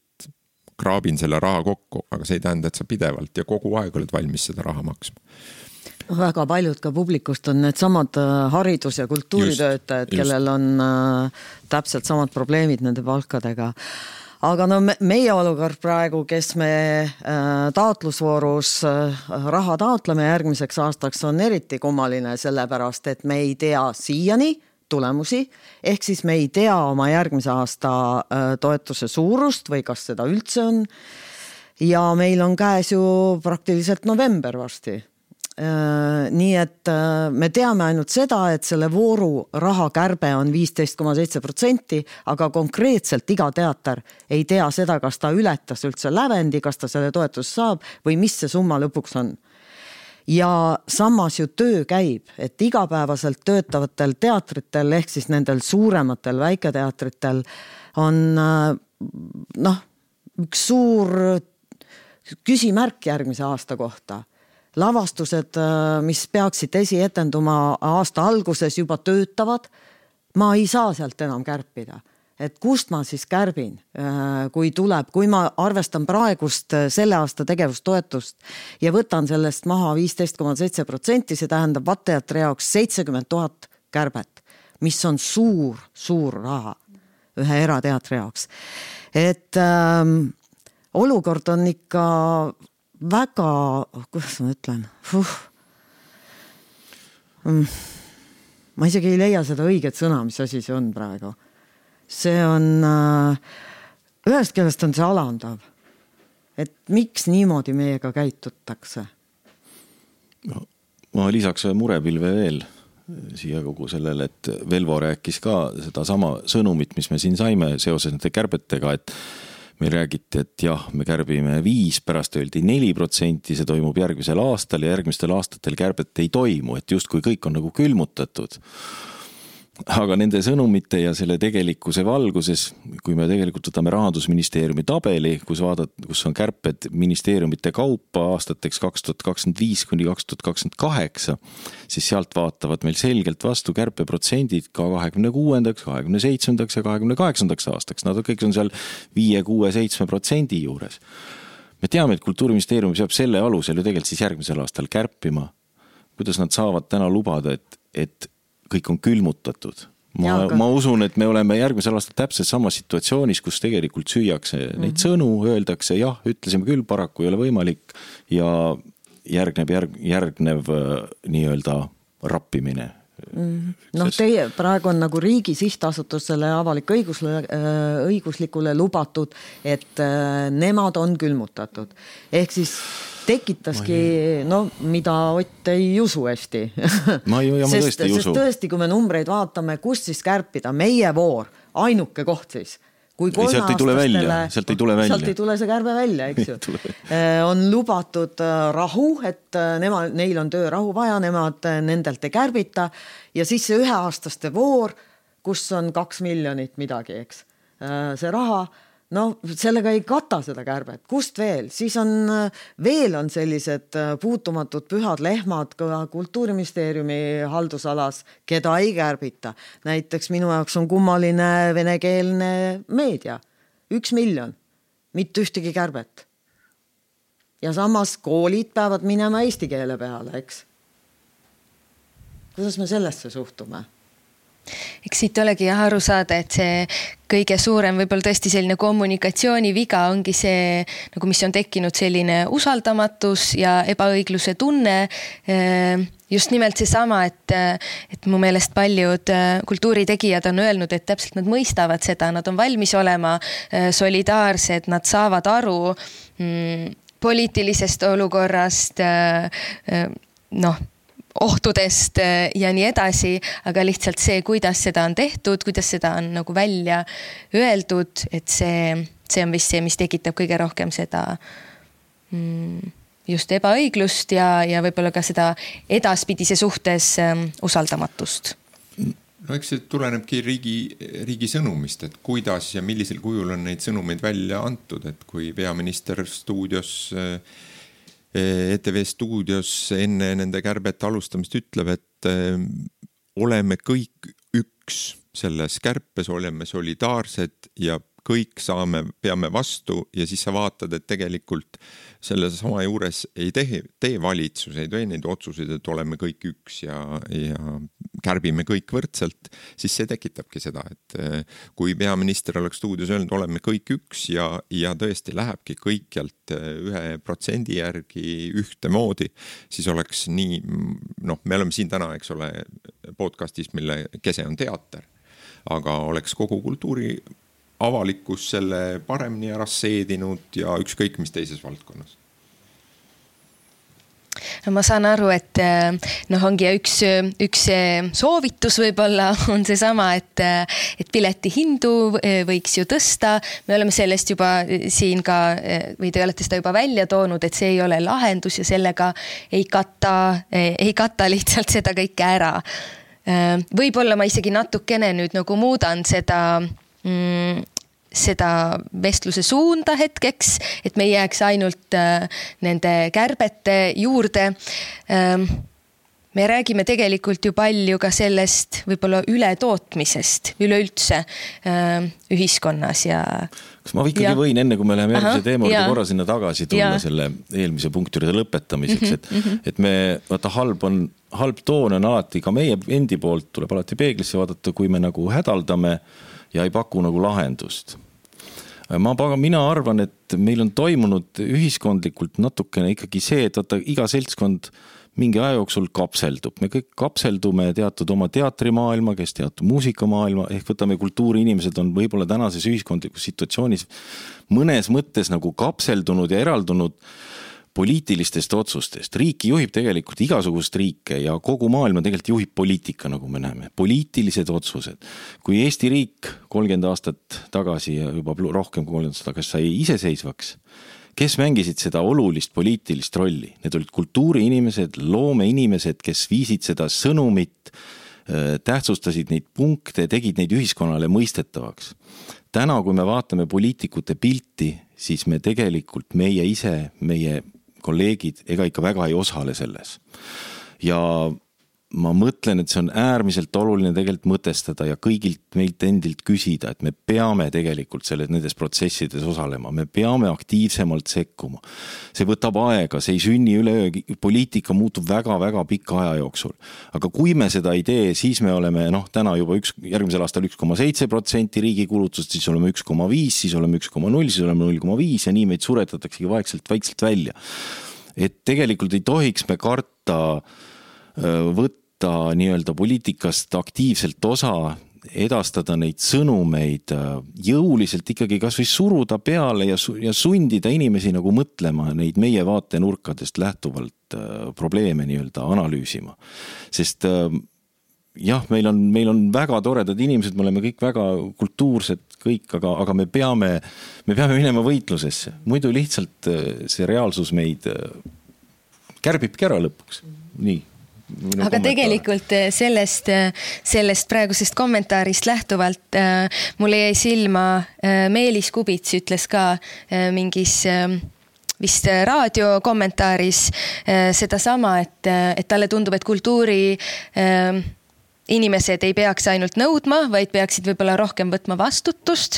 kraabin selle raha kokku, aga see ei tähenda, et sa pidevalt ja kogu aeg oled valmis seda raha maksma. Väga paljud ka publikust on need samad haridus- ja kultuuritöötajad, kellel on äh, täpselt samad probleemid nende palkadega. Aga no me, meie olukord praegu, kes me äh, taotlusvoorus äh, raha taotleme järgmiseks aastaks, on eriti kummaline sellepärast, et me ei tea siiani tulemusi, ehk siis me ei tea oma järgmise aasta äh, toetuse suurust või kas seda üldse on. Ja meil on käes ju praktiliselt november varsti. Nii et me teame ainult seda, et selle vooru raha kärbe on viisteist koma seitse protsenti, aga konkreetselt iga teater ei tea seda, kas ta ületas üldse lävendi, kas ta selle toetus saab või mis see summa lõpuks on. Ja samas ju töö käib, et igapäevaselt töötavatel teatritel ehk siis nendel suurematel väiketeatritel on noh, üks suur küsimärk järgmise aasta kohta. Lavastused, mis peaksid esietenduma aasta alguses juba töötavad, ma ei saa sealt enam kärpida. Et kust ma siis kärbin, kui tuleb, kui ma arvestan praegust selle aasta tegevustoetust ja võtan sellest maha viisteist koma seitse protsenti, see tähendab Vatteatri jaoks seitsekümmend tuhat kärbet, mis on suur, suur raha ühe erateatri jaoks. Et ähm, olukord on ikka väga, kuidas ma ütlen, Fuh. ma isegi ei leia seda õiget sõna, mis asi see on praegu. See on, ühest keelest on see alandav, et miks niimoodi meiega käitutakse? No, ma lisaks murepilve veel siia kogu sellele, et Velvo rääkis ka seda sama sõnumit, mis me siin saime seoses nende kärbetega, et me räägiti, et jah, me kärbime viis, pärast öeldi neli protsenti, see toimub järgmisel aastal ja järgmistel aastatel kärbet ei toimu, et just kui kõik on nagu külmutatud. aga nende sõnumite ja selle tegelikkuse valguses, kui me tegelikult võtame Rahandusministeeriumi tabeli, kus vaadad, kus on kärped ministeeriumite kaupa aastateks kaks tuhat kakskümmend viis kuni kaks tuhat kakskümmend kaheksa, siis sealt vaatavad meil selgelt vastu kärpeprotsendid ka kahekümne kuuendaks, kahekümne seitsmendaks ja kahekümne kaheksandaks aastaks. Nad kõik on seal viie, kuue, seitsme protsendi juures. Me teame, et Kultuuriministeerium peab selle alusel ju tegelikult siis järgmisel aastal kärpima. Kuidas nad saavad täna lubada, et, et kõik on külmutatud. Ma, aga... ma usun, et me oleme järgmisel aastal täpselt samas situatsioonis, kus tegelikult süüakse mm-hmm. neid sõnu, öeldakse, jah, ütlesime küll, paraku ei ole võimalik ja järgneb, järg, järgnev nii-öelda rappimine. Mm. Noh, teie praegu on nagu riigi sihtasutusele avalik õigusle, õiguslikule lubatud, et nemad on külmutatud. Ehk siis tekitaski, no mida Ott ei usu hästi. Ma ju, ja ma sest, tõesti ei usu. Sest tõesti, kui me numbreid vaatame, kust siis kärpida, meie voor, ainuke koht siis. Kui ei, sealt ei tule välja, sealt ei tule välja. Sealt ei tule see kärbe välja, eks ju. On lubatud rahu, et nema, neil on töörahu vaja, nemad nendelt ei kärbita ja siis see üheaastaste voor, kus on kaks miljonit midagi, eks. See raha, no sellega ei kata seda kärbet. Kust veel? Siis on, veel on sellised puutumatud pühad lehmad ka Kultuuriministeeriumi haldusalas, keda ei kärbita. Näiteks minu jaoks on kummaline venekeelne meedia. Üks miljon. Mitte ühtegi kärbet. Ja samas koolid peavad minema eesti keele peale, eks? Kuidas me sellesse suhtume? Eks siit olegi jah aru saada, et see kõige suurem võib-olla tõesti selline kommunikatsiooni viga ongi see, nagu mis on tekkinud selline usaldamatus ja ebaõigluse tunne. Just nimelt see sama, et, et mu meelest paljud kultuuritegijad on öelnud, et täpselt nad mõistavad seda, nad on valmis olema solidaarsed, nad saavad aru mm, poliitilisest olukorrast, noh, ohtudest ja nii edasi, aga lihtsalt see, kuidas seda on tehtud, kuidas seda on nagu välja öeldud, et see, see on vist see, mis tekitab kõige rohkem seda just ebaõiglust ja, ja võib-olla ka seda edaspidise suhtes usaldamatust. No eks see tulenebki riigi, riigi sõnumist, et kuidas ja millisel kujul on neid sõnumeid välja antud, et kui peaminister stuudios E T V stuudios enne nende kärbete alustamist ütleb, et oleme kõik üks selles kärpes, oleme solidaarsed ja kõik saame, peame vastu ja siis sa vaatad, et tegelikult selle sama juures ei tee, tee valitsus, ei tee neid otsuseid, et oleme kõik üks ja, ja kärbime kõik võrdselt, siis see tekitabki seda, et kui peaminister oleks stuudios öelnud, oleme kõik üks ja, ja tõesti lähebki kõikjalt ühe protsendi järgi ühte moodi, siis oleks nii, noh, me oleme siin täna, eks ole, podcastis, mille kese on teater, aga oleks kogu kultuuri avalikkus selle paremini ära seedinud ja ükskõik mis teises valdkonnas. No ma saan aru, et noh, ongi üks, üks soovitus võib-olla on see sama, et, et pileti hindu võiks ju tõsta. Me oleme sellest juba siin ka, või te olete seda juba välja toonud, et see ei ole lahendus ja sellega ei kata, ei kata lihtsalt seda kõike ära. Võib-olla ma isegi natukene nüüd nagu muudan seda Mm, seda vestluse suunda hetkeks, et me ei jääks ainult äh, nende kärbete juurde. Ähm, me räägime tegelikult ju palju ka sellest võib-olla ületootmisest üleüldse äh, ühiskonnas ja kas ma ikkagi ja. võin enne, kui me läheme järgmise teema juurde korra sinna tagasi tulla ja. selle eelmise punktide lõpetamiseks, et, mm-hmm. et me, vaata halb on, halb toon on alati ka meie endi poolt, tuleb alati peeglisse vaadata, kui me nagu hädaldame ja ei paku nagu lahendust. Ma, mina arvan, et meil on toimunud ühiskondlikult natukene ikkagi see, et vaata, iga seltskond mingi aja jooksul kapseldub. Me kõik kapseldume teatud oma teatrimaailma, kes teatud muusikamaailma, ehk võtame kultuuriinimesed on võib-olla tänases ühiskondlikus situatsioonis mõnes mõttes nagu kapseldunud ja eraldunud poliitilistest otsustest. Riiki juhib tegelikult igasugust riike ja kogu maailma tegelikult juhib poliitika, nagu me näeme. Poliitilised otsused. Kui Eesti riik kolmkümmend aastat tagasi ja juba rohkem kui kolmkümmend aastat tagasi sai iseseisvaks, kes mängisid seda olulist poliitilist rolli? Need olid kultuuriinimesed, loomeinimesed, kes viisid seda sõnumit tähtsustasid neid punkte, tegid neid ühiskonnale mõistetavaks. Täna, kui me vaatame poliitikute pilti, siis me tegelikult, meie ise, meie kolleegid, ega ikka väga ei osale selles. Ja ma mõtlen, et see on äärmiselt oluline tegelikult mõtestada ja kõigilt meilt endilt küsida, et me peame tegelikult selles, nendes protsessides osalema, me peame aktiivsemalt sekkuma. See võtab aega, see ei sünni üleöö, poliitika muutub väga-väga pika aja jooksul. Aga kui me seda ei tee, siis me oleme noh, täna juba üks, järgmisel aastal üks koma seitse protsenti riigi kulutust, siis oleme üks koma viis, siis oleme üks koma null, siis oleme null koma viis ja nii meid suretataksegi vaikselt, vaikselt välja. Et tegelikult ei tohiks me karta võtta nii-öelda poliitikast aktiivselt osa, edastada neid sõnumeid, jõuliselt ikkagi kas või suruda peale ja, su- ja sundida inimesi nagu mõtlema neid meie vaatenurkadest lähtuvalt probleeme nii-öelda analüüsima. Sest jah, meil on, meil on väga toredad inimesed, me oleme kõik väga kultuursed kõik, aga, aga me peame, me peame minema võitlusesse. Muidu lihtsalt see reaalsus meid kärbibki ära lõpuks. Nii. Minu aga kommentaar. Tegelikult sellest, sellest praegusest kommentaarist lähtuvalt äh, mulle jäi silma äh, Meelis Kubits ütles ka äh, mingis äh, vist raadiokommentaaris äh, seda sama, et, et talle tundub, et kultuuri äh, inimesed ei peaks ainult nõudma, vaid peaksid võib-olla rohkem võtma vastutust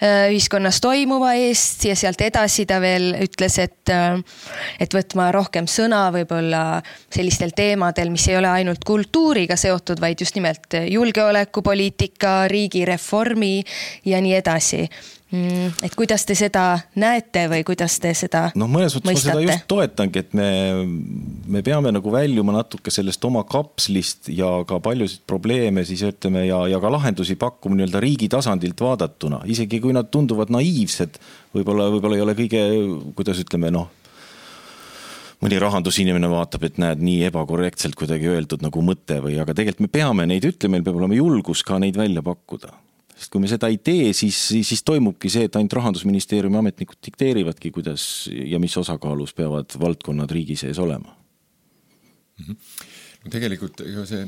ühiskonnas toimuva eest ja sealt edasi ta veel ütles, et, et võtma rohkem sõna võib-olla sellistel teemadel, mis ei ole ainult kultuuriga seotud, vaid just nimelt julgeolekupoliitika, riigireformi ja nii edasi. Et kuidas te seda näete või kuidas te seda no, mõnes mõttes ma seda just toetangi, et me, me peame nagu väljuma natuke sellest oma kapslist ja ka paljusid probleeme siis ütleme ja, ja ka lahendusi pakkuma nii-öelda riigi tasandilt vaadatuna. Isegi kui nad tunduvad naiivsed, võib-olla, võib-olla ei ole kõige, kuidas ütleme, noh, mõni rahandusinimene vaatab, et näed nii ebakorrektselt kuidagi öeldud nagu mõte või, aga tegelikult me peame neid ütlema, meil peab olema julgus ka neid välja pakkuda. Sest kui me seda ei tee, siis, siis, siis toimubki see, et ainult Rahandusministeeriumi ametnikud dikteerivadki, kuidas ja mis osakaalus peavad valdkonnad riigi sees olema. No tegelikult see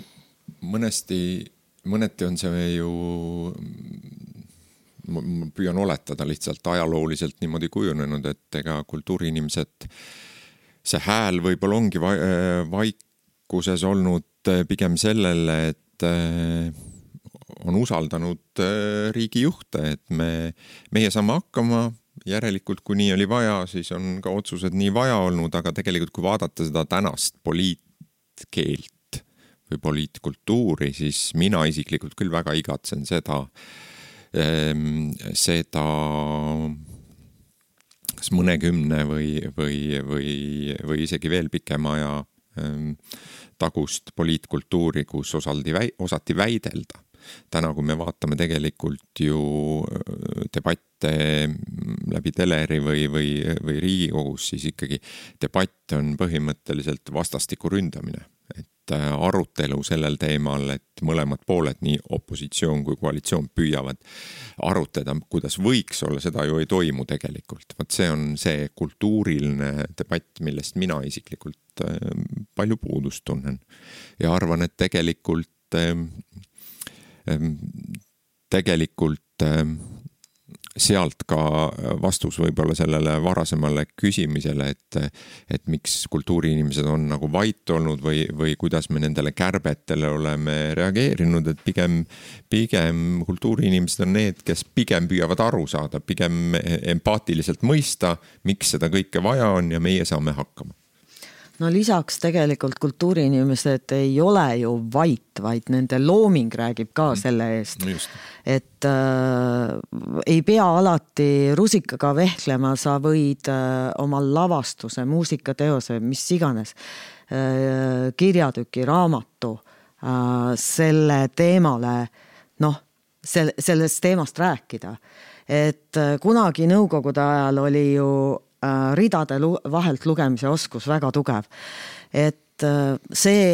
mõnesti, mõneti on see ju, ma püüan oletada lihtsalt ajalooliselt niimoodi kujunenud, et ega kultuuriinimesed, see hääl võib-olla ongi vaikuses olnud pigem sellele, et on usaldanud riigi juhte, et me, meie saame hakkama, järelikult kui nii oli vaja, siis on ka otsused nii vaja olnud, aga tegelikult kui vaadata seda tänast poliitkeelt või poliitkultuuri, siis mina isiklikult küll väga igatsen seda, seda kas mõnekümne või, või, või, või isegi veel pikema aja tagust poliitkultuuri, kus osaldi, osati väidelda. Täna, kui me vaatame tegelikult ju debatte läbi teleri või, või, või Riigikogus, siis ikkagi debatt on põhimõtteliselt vastastiku ründamine. Et arutelu sellel teemal, et mõlemad pooled, nii opositsioon kui koalitsioon püüavad arutleda, kuidas võiks olla, seda ju ei toimu tegelikult. Vaat see on see kultuuriline debatt, millest mina isiklikult palju puudust tunnen. Ja arvan, et tegelikult tegelikult sealt ka vastus võib-olla sellele varasemale küsimisele, et, et miks kultuuriinimesed on nagu vait olnud või, või kuidas me nendele kärbetele oleme reageerinud, et pigem, pigem kultuuriinimesed on need, kes pigem püüavad aru saada, pigem empaatiliselt mõista, miks seda kõike vaja on ja meie saame hakkama. No lisaks tegelikult kultuuriinimesed ei ole ju vait, vaid nende looming räägib ka selle eest. No et äh, ei pea alati rusikaga vehklema, sa võid äh, oma lavastuse, muusikateose, mis iganes, äh, kirjatüki, raamatu äh, selle teemale, noh, sel, sellest teemast rääkida. Et äh, kunagi nõukogude ajal oli ju ridade vahelt lugemise oskus väga tugev. Et see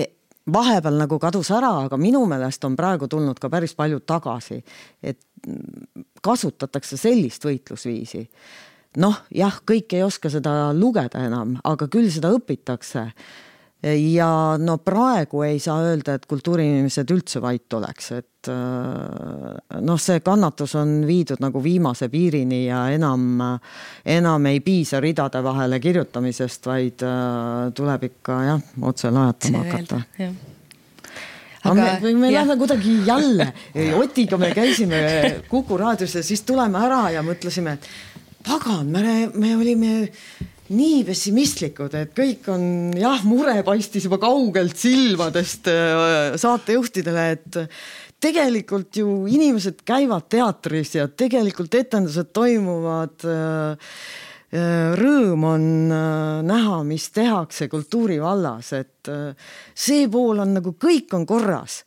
vahepeal nagu kadus ära, aga minu meelest on praegu tulnud ka päris palju tagasi, et kasutatakse sellist võitlusviisi. Noh, jah, kõik ei oska seda lugeda enam, aga küll seda õpitakse. ja no praegu ei saa öelda, et kultuuriinimesed üldse vait oleks, et noh, see kannatus on viidud nagu viimase piirini ja enam, enam ei piisa ridade vahele kirjutamisest, vaid tuleb ikka jah, otse lajatama hakata. Aga me, me, me lähme kuidagi jälle, Otiga me käisime Kuku raadios ja siis tuleme ära ja mõtlesime, et pagan, me, me olime nii pessimistlikud, et kõik on, jah, mure paistis juba kaugelt silmadest saatejuhtidele, et tegelikult ju inimesed käivad teatris ja tegelikult etendused toimuvad, rõõm on näha, mis tehakse kultuuri vallas, et see pool on nagu kõik on korras.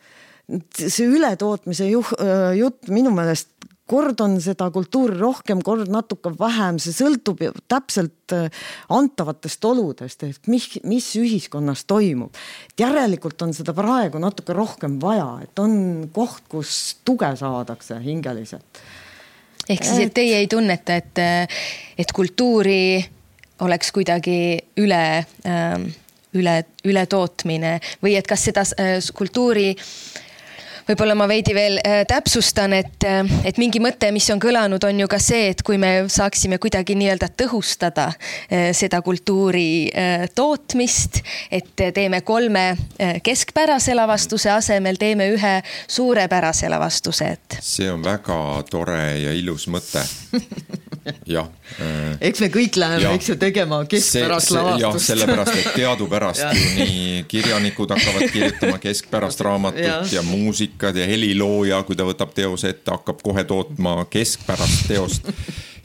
See ületootmise jutt minu meelest kord on seda kultuuri rohkem, kord natuke vähem, see sõltub täpselt antavatest oludest, et mis, mis ühiskonnas toimub. Et järelikult on seda praegu natuke rohkem vaja, et on koht, kus tuge saadakse hingeliselt. Ehk siis, et teie ei tunneta, et, et kultuuri oleks kuidagi üle, üle, üle tootmine või et kas seda kultuuri võib-olla ma veidi veel täpsustan, et, et mingi mõte, mis on kõlanud, on ju ka see, et kui me saaksime kuidagi nii-öelda tõhustada seda kultuuri tootmist, et teeme kolme keskpärase lavastuse asemel, teeme ühe suurepärase lavastuse. Et... See on väga tore ja ilus mõte. Jah. Eks me kõik läheme, eks ju tegema keskpärast see, lavastust. Jah, sellepärast, et teadupärast ju nii kirjanikud hakkavad kirjutama keskpärast raamatut ja, ja muusikad ja helilooja, kui ta võtab teose ette, hakkab kohe tootma keskpärast teost.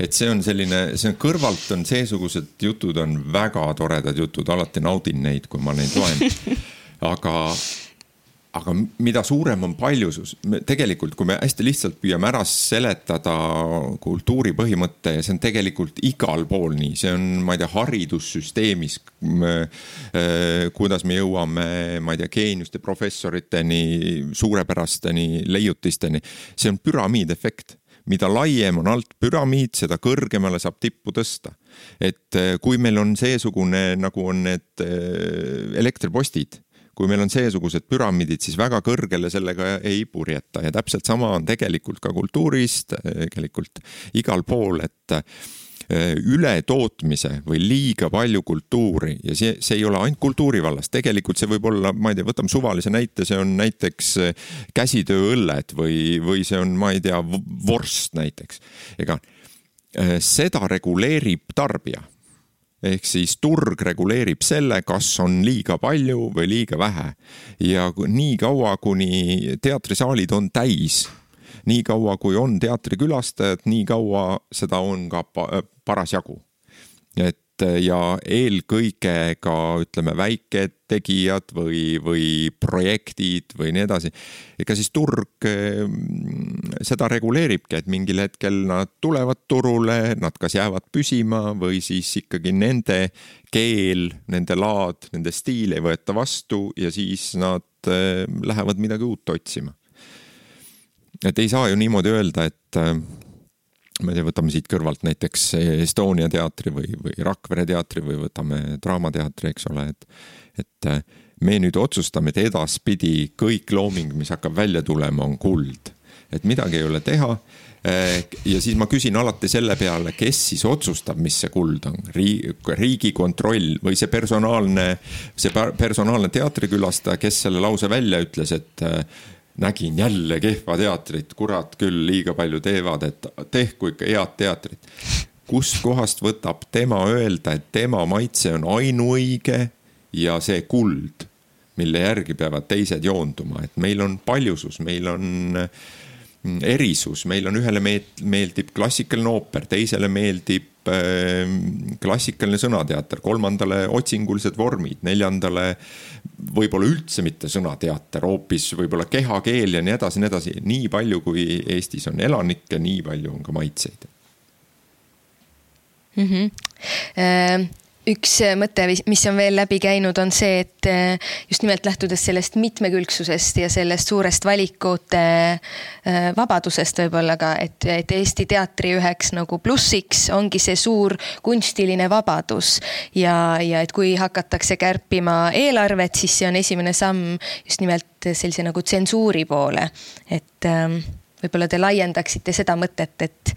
Et see on selline, see on kõrvalt on seesugused jutud on väga toredad jutud, alati naudin neid, kui ma neid loen. Aga... Aga mida suurem on paljusus, tegelikult kui me hästi lihtsalt püüame ära seletada kultuuri põhimõtte ja see on tegelikult igal pool nii, see on, ma ei tea, haridussüsteemis, kuidas me jõuame, ma ei tea, geeniuste professoriteni, suurepärasteni, leiutisteni, see on püramiidefekt. Mida laiem on alt püramiid, seda kõrgemale saab tippu tõsta. Et kui meil on seesugune, nagu on need elektripostid, kui meil on seesugused püramiidid, siis väga kõrgele sellega ei purjeta ja täpselt sama on tegelikult ka kultuurist, tegelikult igal pool, et üle tootmise või liiga palju kultuuri ja see, see ei ole ainult kultuuri vallas, tegelikult see võib olla, ma ei tea, võtame suvalise näite, see on näiteks käsitööõlled või, või see on, ma ei tea, vorst näiteks. Ega seda reguleerib tarbija. Ehk siis turg reguleerib selle, kas on liiga palju või liiga vähe. Ja nii kaua, kuni teatrisaalid on täis, nii kaua, kui on teatrikülastajad, nii kaua seda on ka paras jagu. Et ja eelkõige ka, ütleme, väiketegijad või, või projektid või nii edasi. Ega siis turg seda reguleeribki, et mingil hetkel nad tulevad turule, nad kas jäävad püsima või siis ikkagi nende keel, nende laad, nende stiil ei võeta vastu ja siis nad lähevad midagi uut otsima. Et ei saa ju niimoodi öelda, et me võtame siit kõrvalt näiteks Estonia teatri või, või Rakvere teatri või võtame Draamateatri, eks ole, et, et me nüüd otsustame, et edaspidi kõik looming, mis hakkab välja tulema, on kuld. Et midagi ei ole teha ja siis ma küsin alati selle peale, kes siis otsustab, mis see kuld on. Riigi kontroll või see personaalne, see personaalne teatrikülastaja, kes selle lause välja ütles, et nägin jälle kehva teatrit, kurat küll liiga palju teevad, et tehku ikka head teatrit. Kust kohast võtab tema öelda, et tema maitse on ainuõige ja see kuld, mille järgi peavad teised joonduma. Et meil on paljusus, meil on erisus, meil on ühele meeldib klassikaline ooper, teisele meeldib klassikaline sõnateater, kolmandale otsingulised vormid, neljandale võib-olla üldse mitte sõnateater, hoopis võib-olla kehakeel ja nii edasi, nii edasi. Nii palju, kui Eestis on elanikke, nii palju on ka maitseid. Mm-hmm. üks mõte, mis on veel läbi käinud, on see, et just nimelt lähtudes sellest mitmekülgsusest ja sellest suurest valikute vabadusest võib-olla ka, et, et Eesti teatri üheks nagu plussiks ongi see suur kunstiline vabadus ja, ja et kui hakatakse kärpima eelarvet, siis see on esimene samm just nimelt sellise nagu tsensuuri poole, et võib-olla te laiendaksite seda mõtet, et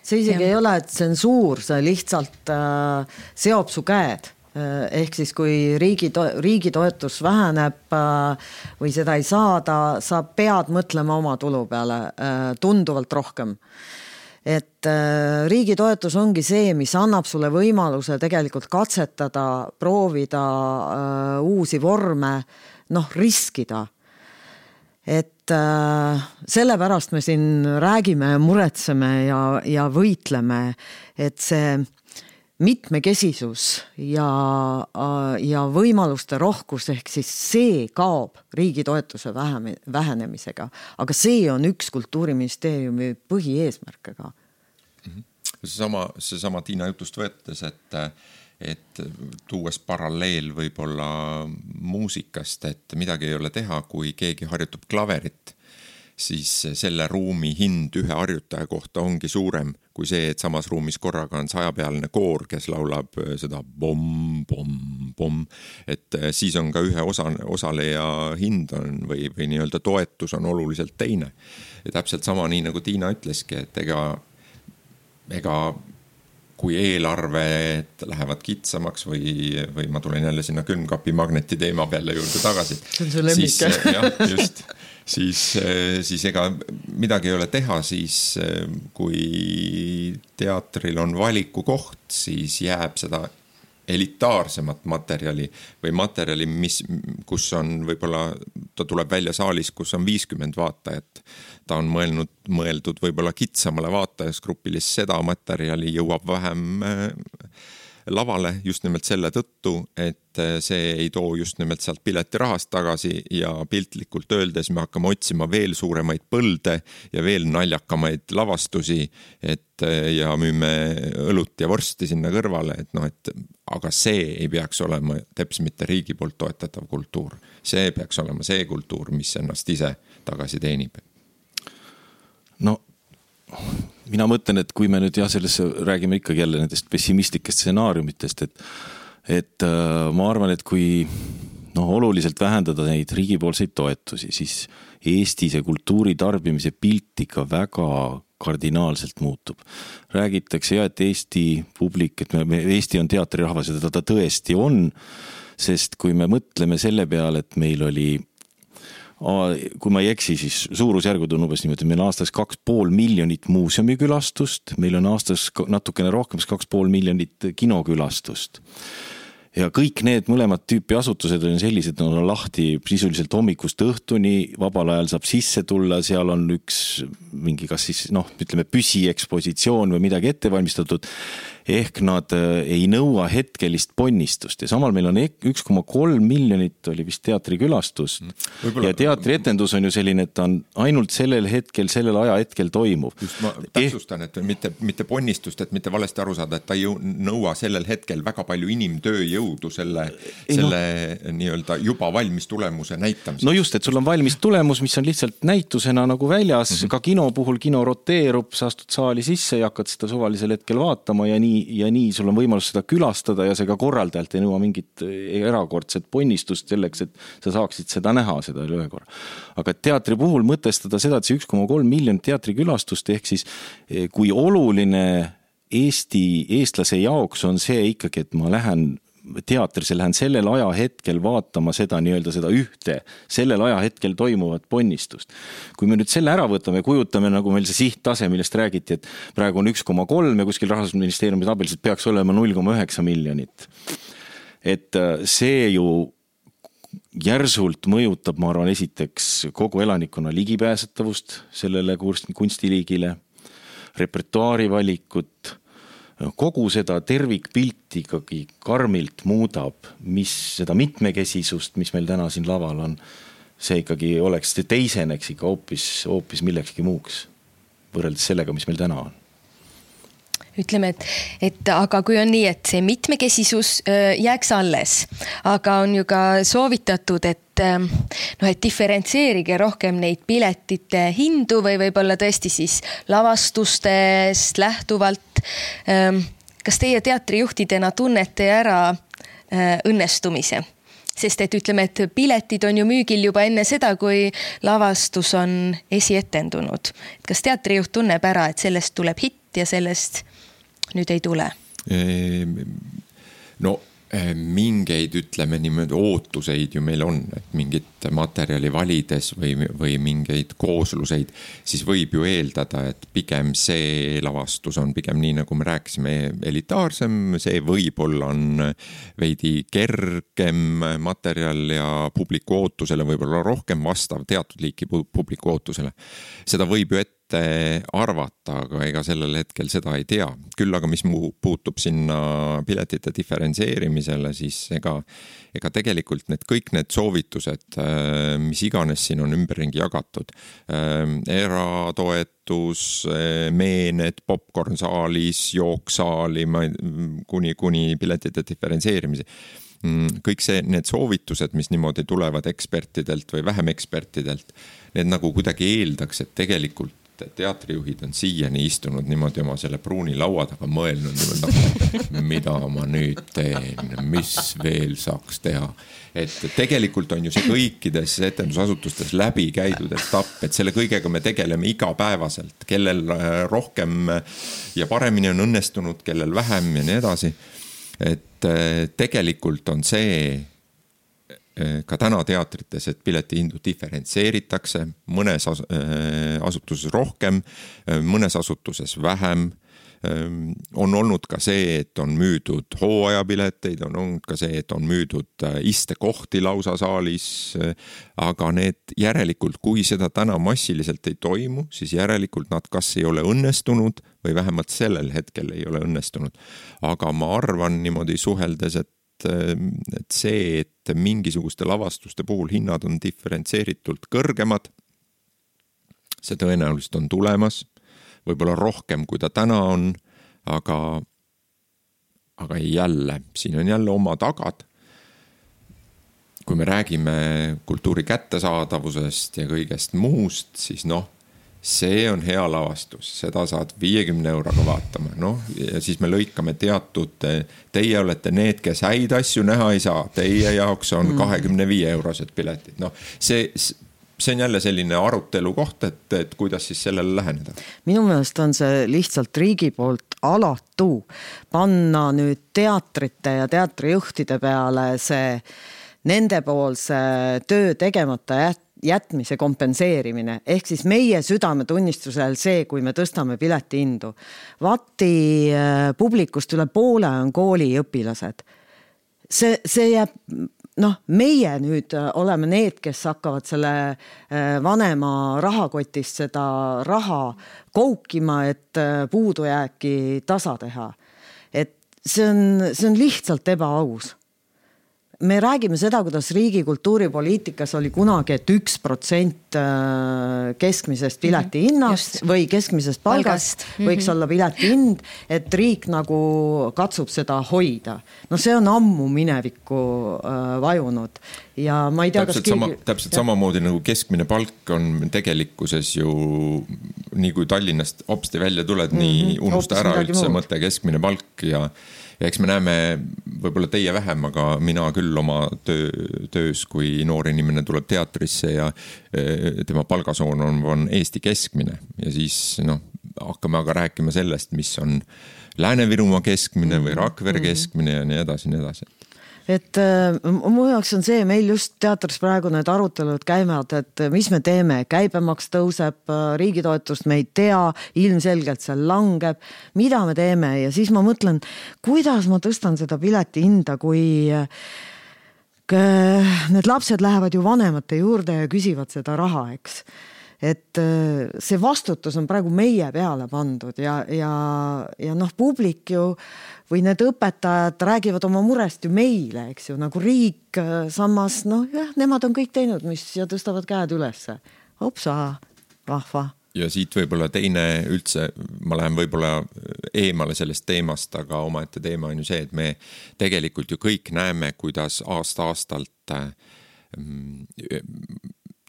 see isegi ja. ei ole tsensuur, see lihtsalt äh, seob su käed. Ehk siis kui riigi, to- riigi toetus väheneb äh, või seda ei saada, sa pead mõtlema oma tulu peale äh, tunduvalt rohkem. Et äh, riigi toetus ongi see, mis annab sulle võimaluse tegelikult katsetada, proovida äh, uusi vorme, noh, riskida. Et äh, sellepärast me siin räägime ja muretseme ja, ja võitleme, et see mitmekesisus ja, ja võimaluste rohkus ehk siis see kaob riigi toetuse vähenemisega, aga see on üks Kultuuriministeeriumi põhieesmärk. Seesama, seesama Tiina jutust võetes, et et tuues paralleel võib-olla muusikast, et midagi ei ole teha, kui keegi harjutab klaverit, siis selle ruumi hind ühe harjutaja kohta ongi suurem kui see, et samas ruumis korraga on sajapealine koor, kes laulab seda bom, bom, bom, et siis on ka ühe osa, osaleja hind on või, või nii-öelda toetus on oluliselt teine. Ja täpselt sama nii, nagu Tiina ütleski, et ega, ega kui eelarved lähevad kitsamaks või, või ma tulen jälle sinna külmkapi magneti teema peale juurde tagasi. See on su lemmik. Siis, jah, just, siis, siis ega midagi ei ole teha, siis kui teatril on valiku koht, siis jääb seda elitaarsemat materjali või materjali, mis, kus on võib-olla, ta tuleb välja saalis, kus on viiskümmend vaatajat. Ta on mõelnud, mõeldud võib-olla kitsamale vaatajasgrupile, seda materjali jõuab vähem lavale just nimelt selle tõttu, et see ei too just nimelt sealt piletirahast tagasi ja piltlikult öeldes me hakkame otsima veel suuremaid põlde ja veel naljakamaid lavastusi, et ja müüme õlut ja vorsti sinna kõrvale, et noh, et aga see ei peaks olema teps mitte riigi poolt toetatav kultuur. See peaks olema see kultuur, mis ennast ise tagasi teenib. No mina mõtlen, et kui me nüüd jah, sellesse räägime ikkagi jälle nendest pessimistlikest stsenaariumitest, et, et äh, ma arvan, et kui no, oluliselt vähendada neid riigipoolseid toetusi, siis Eesti see kultuuri tarbimise pilt ikka väga kardinaalselt muutub. Räägitakse ja, et Eesti publik, et me, Eesti on teatrirahvas ja ta, ta tõesti on, sest kui me mõtleme selle peale, et meil oli kui ma ei eksi, siis suurusjärgud on umbes niimoodi, meil on aastas kaks pool miljonit muuseumikülastust, meil on aastas natukene rohkem kaks pool miljonit kinokülastust. Ja kõik need mõlemad tüüpi asutused on sellised, et on lahti sisuliselt hommikust õhtuni, vabal ajal saab sisse tulla, seal on üks mingi kas siis, noh, ütleme püsiekspositsioon või midagi ette valmistatud, ehk nad ei nõua hetkelist ponnistust ja samal meil on üks koma kolm miljonit oli vist teatrikülastus Võibolla... ja teatrietendus on ju selline, et ta on ainult sellel hetkel, sellel aja hetkel toimuv. Just ma täpsustan, et mitte, mitte ponnistust, et mitte valesti aru saada, et ta ei nõua sellel hetkel väga palju inimtööjõudu selle, selle no, nii-öelda juba valmis tulemuse näitamiseks. No just, et sul on valmis tulemus, mis on lihtsalt näitusena nagu väljas, mm-hmm. ka kino puhul kino roteerub, sa astud saali sisse ja hakkad seda suvalisel hetkel vaatama ja nii ja nii sul on võimalus seda külastada ja see ka korraldajalt ei nõua mingit erakordset ponnistust selleks, et sa saaksid seda näha, seda üle korra. Aga teatri puhul mõtestada seda, et see üks koma kolm miljonit teatrikülastust, ehk siis kui oluline Eesti, eestlase jaoks on see ikkagi, et ma lähen teatrisse, lähen sellel aja hetkel vaatama seda nii-öelda seda ühte, sellel aja hetkel toimuvat ponnistust. Kui me nüüd selle ära võtame, kujutame nagu meil see sihttase, millest räägiti, et praegu on üks koma kolm ja kuskil Rahandusministeeriumi tabeliselt peaks olema null koma üheksa miljonit. Et see ju järsult mõjutab, ma arvan, esiteks kogu elanikkonna ligipääsetavust sellele kunstiliigile, repertuaari valikut, kogu seda tervikpilti ikkagi karmilt muudab, mis seda mitmekesisust, mis meil täna siin laval on, see ikkagi oleks teiseneks ikka hoopis, hoopis millekski muuks võrreldes sellega, mis meil täna on. ütleme, et, et aga kui on nii, et see mitmekesisus jääks alles, aga on ju ka soovitatud, et noh, et diferentseerige rohkem neid piletite hindu või võib-olla tõesti siis lavastustest lähtuvalt. Kas teie teatrijuhtidena tunnete ära õnnestumise? Sest et ütleme, et piletid on ju müügil juba enne seda, kui lavastus on esietendunud. Kas teatrijuht tunneb ära, et sellest tuleb hitt ja sellest nüüd ei tule? No mingeid, ütleme niimoodi, ootuseid ju meil on, et mingit materjali valides või, või mingeid koosluseid, siis võib ju eeldada, et pigem see lavastus on pigem nii, nagu me rääkisime, elitaarsem, see võib-olla on veidi kergem materjal ja publiku ootusele võib-olla rohkem vastav teatud liiki publiku ootusele. Seda võib ju ette arvata, aga ega sellel hetkel seda ei tea. Küll aga mis muu puutub sinna piletite diferentseerimisele, siis ega, ega tegelikult need kõik need soovitused, mis iganes siin on ümberringi jagatud, eratoetus, meened, popcorn saalis, jooksaali, kuni, kuni piletite diferentseerimise, kõik see, need soovitused, mis niimoodi tulevad ekspertidelt või vähem ekspertidelt, need nagu kuidagi eeldaks, et tegelikult teatrijuhid on siiani istunud niimoodi oma selle pruuni laua taga mõelnud, niimoodi, mida ma nüüd teen, mis veel saaks teha. Et tegelikult on ju see kõikides etendusasutustes läbi käidud etapp, et selle kõigega me tegeleme igapäevaselt, kellel rohkem ja paremini on õnnestunud, kellel vähem ja nii edasi. Et tegelikult on see ka täna teatrites, et piletihindu diferentseeritakse, mõnes asutuses rohkem, mõnes asutuses vähem. On olnud ka see, et on müüdud hooajapileteid, on olnud ka see, et on müüdud istekohti lausa saalis, aga need järelikult, kui seda täna massiliselt ei toimu, siis järelikult nad kas ei ole õnnestunud või vähemalt sellel hetkel ei ole õnnestunud. Aga ma arvan niimoodi suheldes, et et see, et mingisuguste lavastuste puhul hinnad on diferentseeritult kõrgemad, see tõenäoliselt on tulemas, võib-olla rohkem kui ta täna on, aga, aga jälle, siin on jälle oma tagad. Kui me räägime kultuuri kättesaadavusest ja kõigest muust, siis noh, see on hea lavastus, seda saad viiekümne euroga vaatama, noh, ja siis me lõikame teatud, teie olete need, kes häid asju näha ei saa, teie jaoks on kahekümne viie eurosed piletid, noh, see, see on jälle selline arutelu koht, et, et kuidas siis sellele läheneda. Minu meelest on see lihtsalt riigi poolt alatu panna nüüd teatrite ja teatrijuhtide peale see nendepoolse töö tegemata jät jätmise kompenseerimine, ehk siis meie südametunnistusel see, kui me tõstame pileti hindu. Vati publikust üle poole on kooliõpilased. See, see jääb, noh, meie nüüd oleme need, kes hakkavad selle vanema rahakotist seda raha koukima, et puudujääki tasa teha. Et see on, see on lihtsalt ebaaus. Me räägime seda, kuidas riigi kultuuripoliitikas oli kunagi, et üks protsent keskmisest pileti hinnast või keskmisest palgast võiks mm-hmm. olla pileti hind, et riik nagu katsub seda hoida. No see on ammu minevikku vajunud. Ja ma ei tea, täpselt, kas sama, täpselt samamoodi nagu keskmine palk on tegelikkuses ju, nii kui Tallinnast hopsti välja tuled, mm-hmm. nii unusta ära üldse mõte keskmine palk ja Ja eks me näeme võib-olla teie vähem, aga mina küll oma töö, töös, kui noor inimene tuleb teatrisse ja tema palgasoon on, on Eesti keskmine. Ja siis noh, hakkame aga rääkima sellest, mis on Lääne-Virumaa keskmine või Rakvere keskmine ja nii edasi, nii edasi. Et mu jaoks on see, meil just teatris praegu need arutelud käivad, et mis me teeme, käibemaks tõuseb, riigitoetust me ei tea, ilmselgelt seal langeb, mida me teeme ja siis ma mõtlen, kuidas ma tõstan seda pileti hinda, kui need lapsed lähevad ju vanemate juurde ja küsivad seda raha, eks. Et see vastutus on praegu meie peale pandud ja, ja, ja noh, publik ju või need õpetajad räägivad oma murest ju meile, eks ju, nagu riik samas, noh jah, nemad on kõik teinud, mis ja tõstavad käed ülesse. Hopsa, vahva. ja siit võib-olla teine üldse, ma lähen võib-olla eemale sellest teemast, aga omaette teema on ju see, et me tegelikult ju kõik näeme, kuidas aasta-aastalt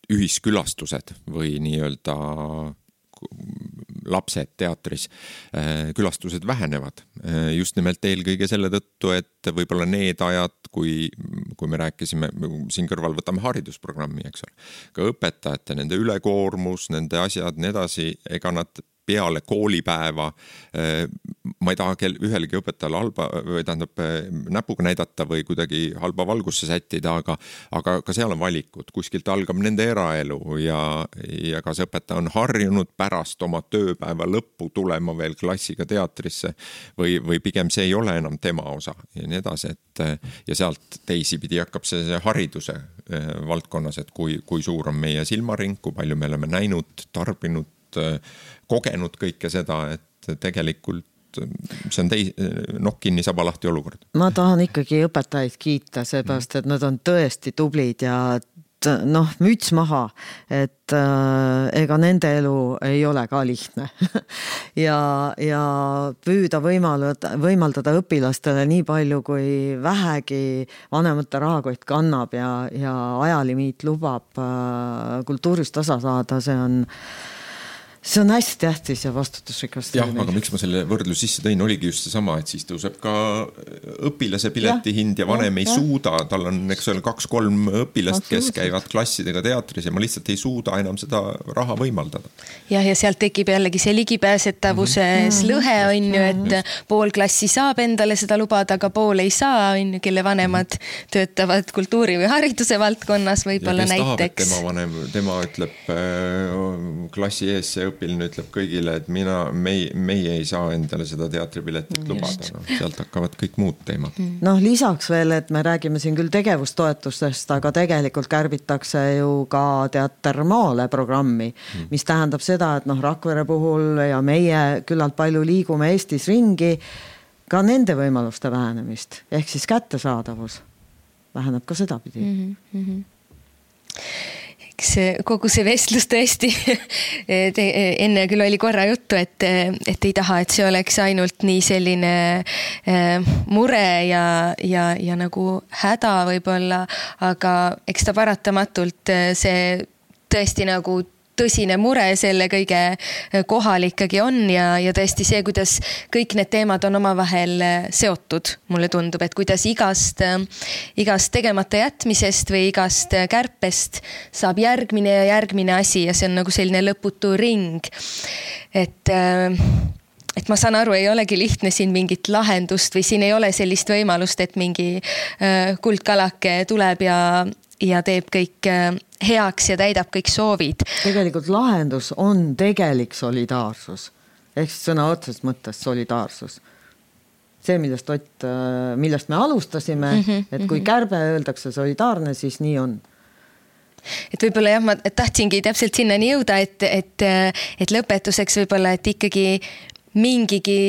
ühiskülastused või nii-öelda lapsed teatris, külastused vähenevad. Just nimelt eelkõige selle tõttu, et võib-olla need ajad, kui, kui me rääkisime, siin kõrval võtame haridusprogrammi, eks ole, ka õpetajate, nende ülekoormus, nende asjad, nii edasi, ega nad peale koolipäeva, ma ei taha ühelegi õpetajale halba, või tähendab näpuga näidata või kuidagi halba valgusse sättida, aga, aga ka seal on valikud, kuskilt algab nende eraelu ja, ja kas õpetaja on harjunud pärast oma tööpäeva lõppu tulema veel klassiga teatrisse või, või pigem see ei ole enam tema osa ja nii edasi, et ja sealt teisipidi hakkab see, see hariduse valdkonnas, et kui, kui suur on meie silmaring, kui palju me oleme näinud, tarbinud, kogenud kõike seda, et tegelikult see on teis, noh, kinni saba lahti olukord. Ma tahan ikkagi õpetajaid kiita, seepärast, et nad on tõesti tublid ja noh, müts maha, et äh, ega nende elu ei ole ka lihtne ja, ja püüda võimaldada, võimaldada õpilastele nii palju, kui vähegi vanemate rahakott kannab ja, ja ajalimiit lubab äh, kultuurist osa saada, see on See on hästi tähtis ja vastutusrikas. Jah, aga miks ma selle võrdlus sisse tõin, oligi just see sama, et siis tõuseb ka õpilase pileti hind ja vanem ja, ei ja. suuda, tal on eks ole kaks-kolm õpilast, kes käivad klassidega teatris ja ma lihtsalt ei suuda enam seda raha võimaldada. Jah, ja sealt tekib jällegi see ligipääsetavuses mm-hmm. lõhe on ju, et mm-hmm. pool klassi saab endale seda lubada, aga pool ei saa, on ju, kelle vanemad mm-hmm. töötavad kultuuri või hariduse valdkonnas võib-olla näiteks. Ja kes tahab, et tema vanem, tema ütleb äh, klassi ees see õpiline ütleb kõigile, et mina, meie, meie ei saa endale seda teatripiletit lubada. No, sealt hakkavad kõik muud teemad. Noh, lisaks veel, et me räägime siin küll tegevustoetustest, aga tegelikult kärbitakse ju ka Teater maale programmi, mis tähendab seda, et noh, Rakvere puhul ja meie küllalt palju liigume Eestis ringi, ka nende võimaluste vähenemist, ehk siis kättesaadavus väheneb ka seda pidi. Mm-hmm. Mm-hmm. See, kogu see vestlus tõesti te, enne küll oli korra juttu, et, et ei taha, et see oleks ainult nii selline äh, mure ja, ja, ja nagu häda võib-olla, aga eks ta paratamatult see tõesti nagu tõsine mure selle kõige kohal ikkagi on ja, ja tõesti see, kuidas kõik need teemad on omavahel seotud, mulle tundub, et kuidas igast, igast tegemata jätmisest või igast kärpest saab järgmine ja järgmine asi ja see on nagu selline lõputu ring. Et, et ma saan aru, ei olegi lihtne siin mingit lahendust või siin ei ole sellist võimalust, et mingi kuldkalake tuleb ja ja teeb kõik heaks ja täidab kõik soovid. Tegelikult lahendus on tegelik solidaarsus. Ehk sõna otsest mõttes solidaarsus. See, millest, Ott, millest me alustasime, mm-hmm, et kui kärbe öeldakse solidaarne, siis nii on. Et võib-olla jah, ma tahtsingi täpselt sinnani jõuda, et, et, et lõpetuseks võib-olla, et ikkagi mingigi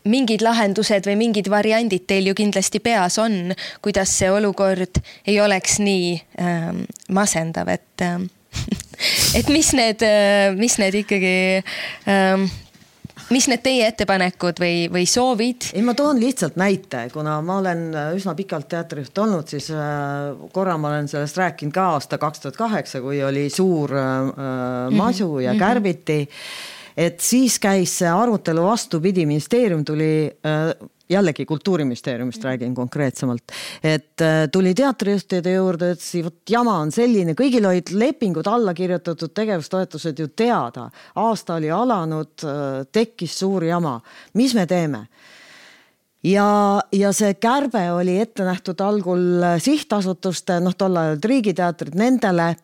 mingid lahendused või mingid variandid teil ju kindlasti peas on, kuidas see olukord ei oleks nii ähm, masendav, et, ähm, et mis need, mis need ikkagi, ähm, mis need teie ettepanekud või, või soovid? Ei, ma toon lihtsalt näite, kuna ma olen üsna pikalt teatrijuht olnud, siis äh, korra ma olen sellest rääkinud ka aasta kaks tuhat kaheksa, kui oli suur äh, masu mm-hmm. ja kärbiti. Et siis käis see arutelu vastupidi, ministeerium tuli, jällegi kultuuriministeeriumist räägin konkreetsemalt, et tuli teatrijuhtide juurde, et see jama on selline, kõigil olid lepingud alla kirjutatud, tegevustoetused ju teada. Aasta oli alanud, tekkis suur jama. Mis me teeme? Ja, ja see kärbe oli ette nähtud algul sihtasutuste, noh tol ajal riigiteatrid nendele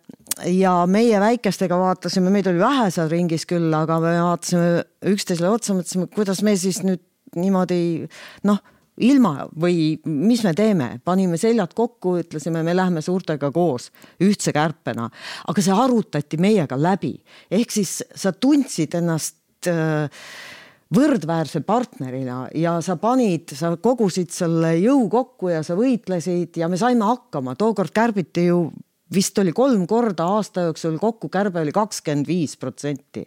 ja meie väikestega vaatasime, meid oli vähe seal ringis küll, aga me vaatasime üksteisele otsa, mõtlesime, kuidas me siis nüüd niimoodi, noh, ilma või mis me teeme, panime seljad kokku, ütlesime, me läheme suurtega koos ühtse kärpena, aga see arutati meiega läbi, ehk siis sa tundsid ennast äh, võrdväärse partnerina ja sa panid, sa kogusid selle jõu kokku ja sa võitlesid ja me saime hakkama. Tookord kärbiti ju vist oli kolm korda aasta jooksul kokku kärbe oli kakskümmend viis protsenti.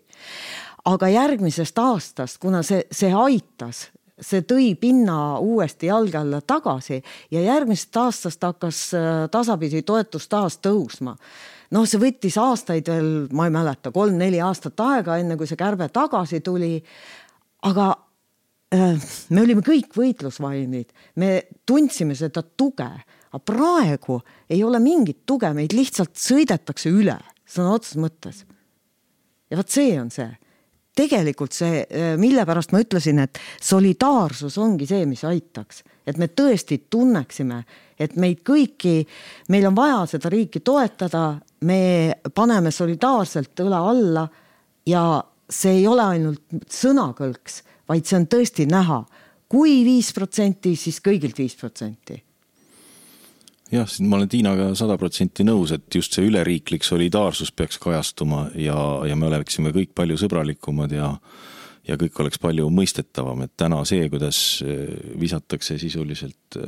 Aga järgmisest aastast, kuna see, see aitas, see tõi pinna uuesti jalge alla tagasi ja järgmisest aastast hakkas tasapisi toetus taas tõusma. No see võttis aastaid veel, ma ei mäleta, kolm-neli aastat aega, enne kui see kärbe tagasi tuli, aga me olime kõik võitlusvaimid, me tundsime seda tuge, aga praegu ei ole mingit tuge, meid lihtsalt sõidetakse üle, sõna otseses mõttes. Ja võt see on see. Tegelikult see, mille pärast ma ütlesin, et solidaarsus ongi see, mis aitaks. Et me tõesti tunneksime, et meid kõiki, meil on vaja seda riiki toetada, me paneme solidaarselt õla alla ja see ei ole ainult sõnakõlks, vaid see on tõesti näha. Kui viis protsenti, siis kõigilt viis protsenti. Jah, ma olen Tiinaga sada protsenti nõus, et just see üleriiklik solidaarsus peaks kajastuma ja, ja me oleksime kõik palju sõbralikumad ja, ja kõik oleks palju mõistetavam, et täna see, kuidas visatakse sisuliselt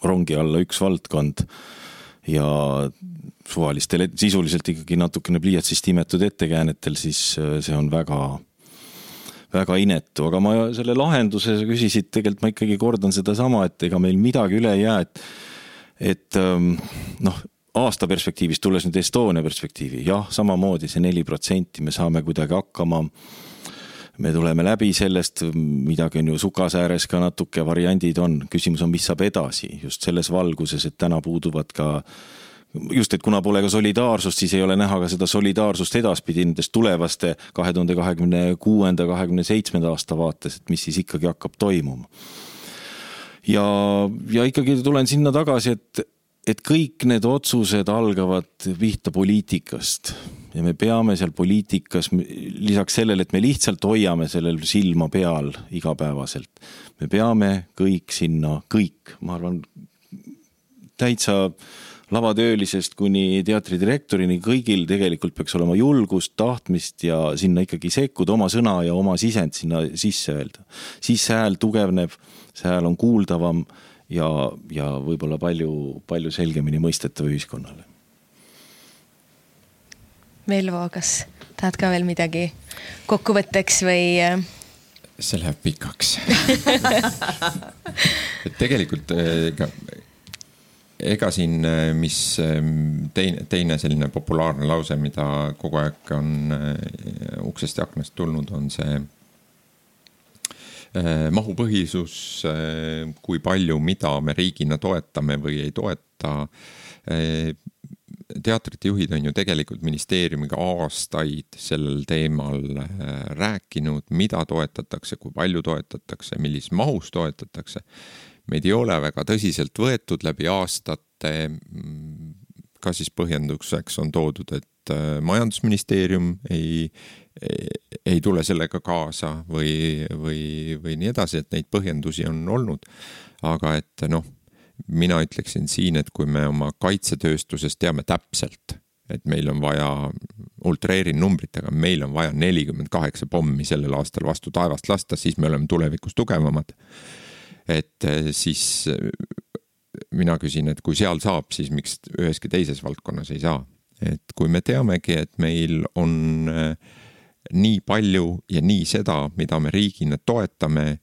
rongi alla üks valdkond ja suvalistele sisuliselt ikkagi natukene pliiatsist imetud ettekäänetel, siis see on väga väga inetu, aga ma selle lahenduse küsisid, tegelikult ma ikkagi kordan seda sama, et ega meil midagi üle ei jää, et et noh, aasta perspektiivist tulles nüüd Estonia perspektiivi, jah, samamoodi see neli protsenti me saame kuidagi hakkama, me tuleme läbi sellest, midagi on ju sukasääres ka natuke variandid on, küsimus on, mis saab edasi, just selles valguses, et täna puuduvad ka just, et kuna pole ka solidaarsust, siis ei ole näha ka seda solidaarsust edaspidi nendest tulevaste kahe tuhande kahekümne kuuenda kahekümne seitsmenda aasta vaates, et mis siis ikkagi hakkab toimuma. Ja, ja ikkagi tulen sinna tagasi, et, et kõik need otsused algavad vihta poliitikast ja me peame seal poliitikas, lisaks sellele, et me lihtsalt hoiame sellel silma peal igapäevaselt, me peame kõik sinna, kõik, ma arvan, täitsa lavatöölisest kuni teatridirektorini kõigil tegelikult peaks olema julgust, tahtmist ja sinna ikkagi sekkuda oma sõna ja oma sisend sinna sisse öelda. Siis see hääl tugevneb, see hääl on kuuldavam ja, ja võib-olla palju, palju selgemini mõistetav ühiskonnale. Velvo, kas tahad ka veel midagi kokkuvõtteks või? See läheb pikaks. Tegelikult ega Ega siin, mis teine, teine selline populaarne lause, mida kogu aeg on uksest ja aknast tulnud, on see mahupõhisus, kui palju, mida me riigina toetame või ei toeta. Teatrite juhid on ju tegelikult ministeeriumiga aastaid sellel teemal rääkinud, mida toetatakse, kui palju toetatakse, millis mahus toetatakse. Meid ei ole väga tõsiselt võetud läbi aastate, ka siis põhjenduseks on toodud, et majandusministeerium ei, ei tule sellega kaasa või, või, või nii edasi, et neid põhjendusi on olnud. Aga et noh, mina ütleksin siin, et kui me oma kaitsetööstuses teame täpselt, et meil on vaja, ultreerin numbritega, meil on vaja nelikümmend kaheksa pommi sellel aastal vastu taevast lasta, siis me oleme tulevikus tugevamad. Et siis mina küsin, et kui seal saab, siis miks üheski teises valdkonnas ei saa. Et kui me teamegi, et meil on nii palju ja nii seda, mida me riigina toetame,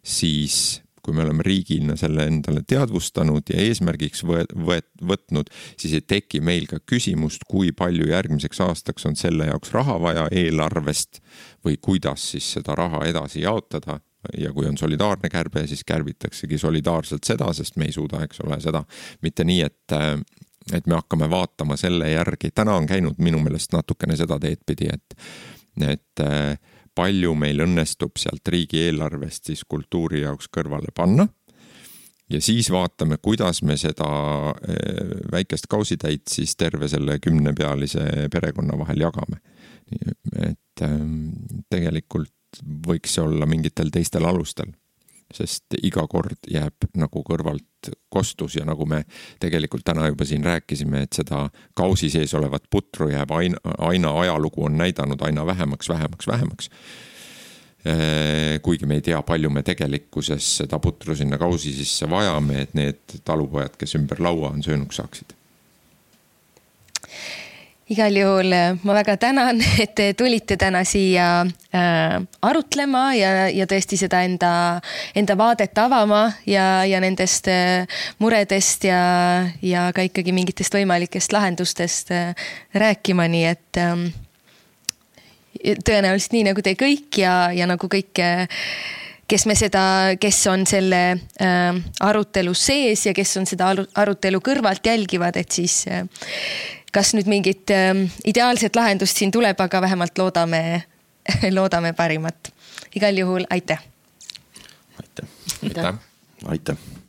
siis kui me oleme riigina selle endale teadvustanud ja eesmärgiks võtnud, siis ei teki meil ka küsimust, kui palju järgmiseks aastaks on selle jaoks raha vaja eelarvest või kuidas siis seda raha edasi jaotada. Ja kui on solidaarne kärbe, siis kärbitaksegi solidaarselt seda, sest me ei suuda, eks ole, seda mitte nii, et, et me hakkame vaatama selle järgi. Täna on käinud minu meelest natukene seda teed pidi, et, et palju meil õnnestub sealt riigi eelarvest siis kultuuri jaoks kõrvale panna. Ja siis vaatame, kuidas me seda väikest kausitäit siis terve selle kümnepealise perekonna vahel jagame. Et tegelikult võiks olla mingitel teistel alustel, sest iga kord jääb nagu kõrvalt kostus ja nagu me tegelikult täna juba siin rääkisime, et seda kausi sees olevat putru jääb aina, aina ajalugu on näidanud aina vähemaks, vähemaks, vähemaks. Kuigi me ei tea, palju me tegelikkuses seda putru sinna kausi sisse vajame, et need talupojad, kes ümber laua on söönuks saaksid. Igal juhul ma väga tänan, et te tulite täna siia äh, arutlema ja, ja tõesti seda enda, enda vaadet avama ja, ja nendest äh, muredest ja, ja ka ikkagi mingitest võimalikest lahendustest äh, rääkima, nii et äh, tõenäoliselt nii nagu te kõik ja, ja nagu kõik, kes me seda, kes on selle äh, arutelu sees ja kes on seda arutelu kõrvalt jälgivad, et siis äh, kas nüüd mingit äh, ideaalset lahendust siin tuleb, aga vähemalt loodame, loodame parimat. Igal juhul aitäh. Aitäh. Aitäh. Aitäh.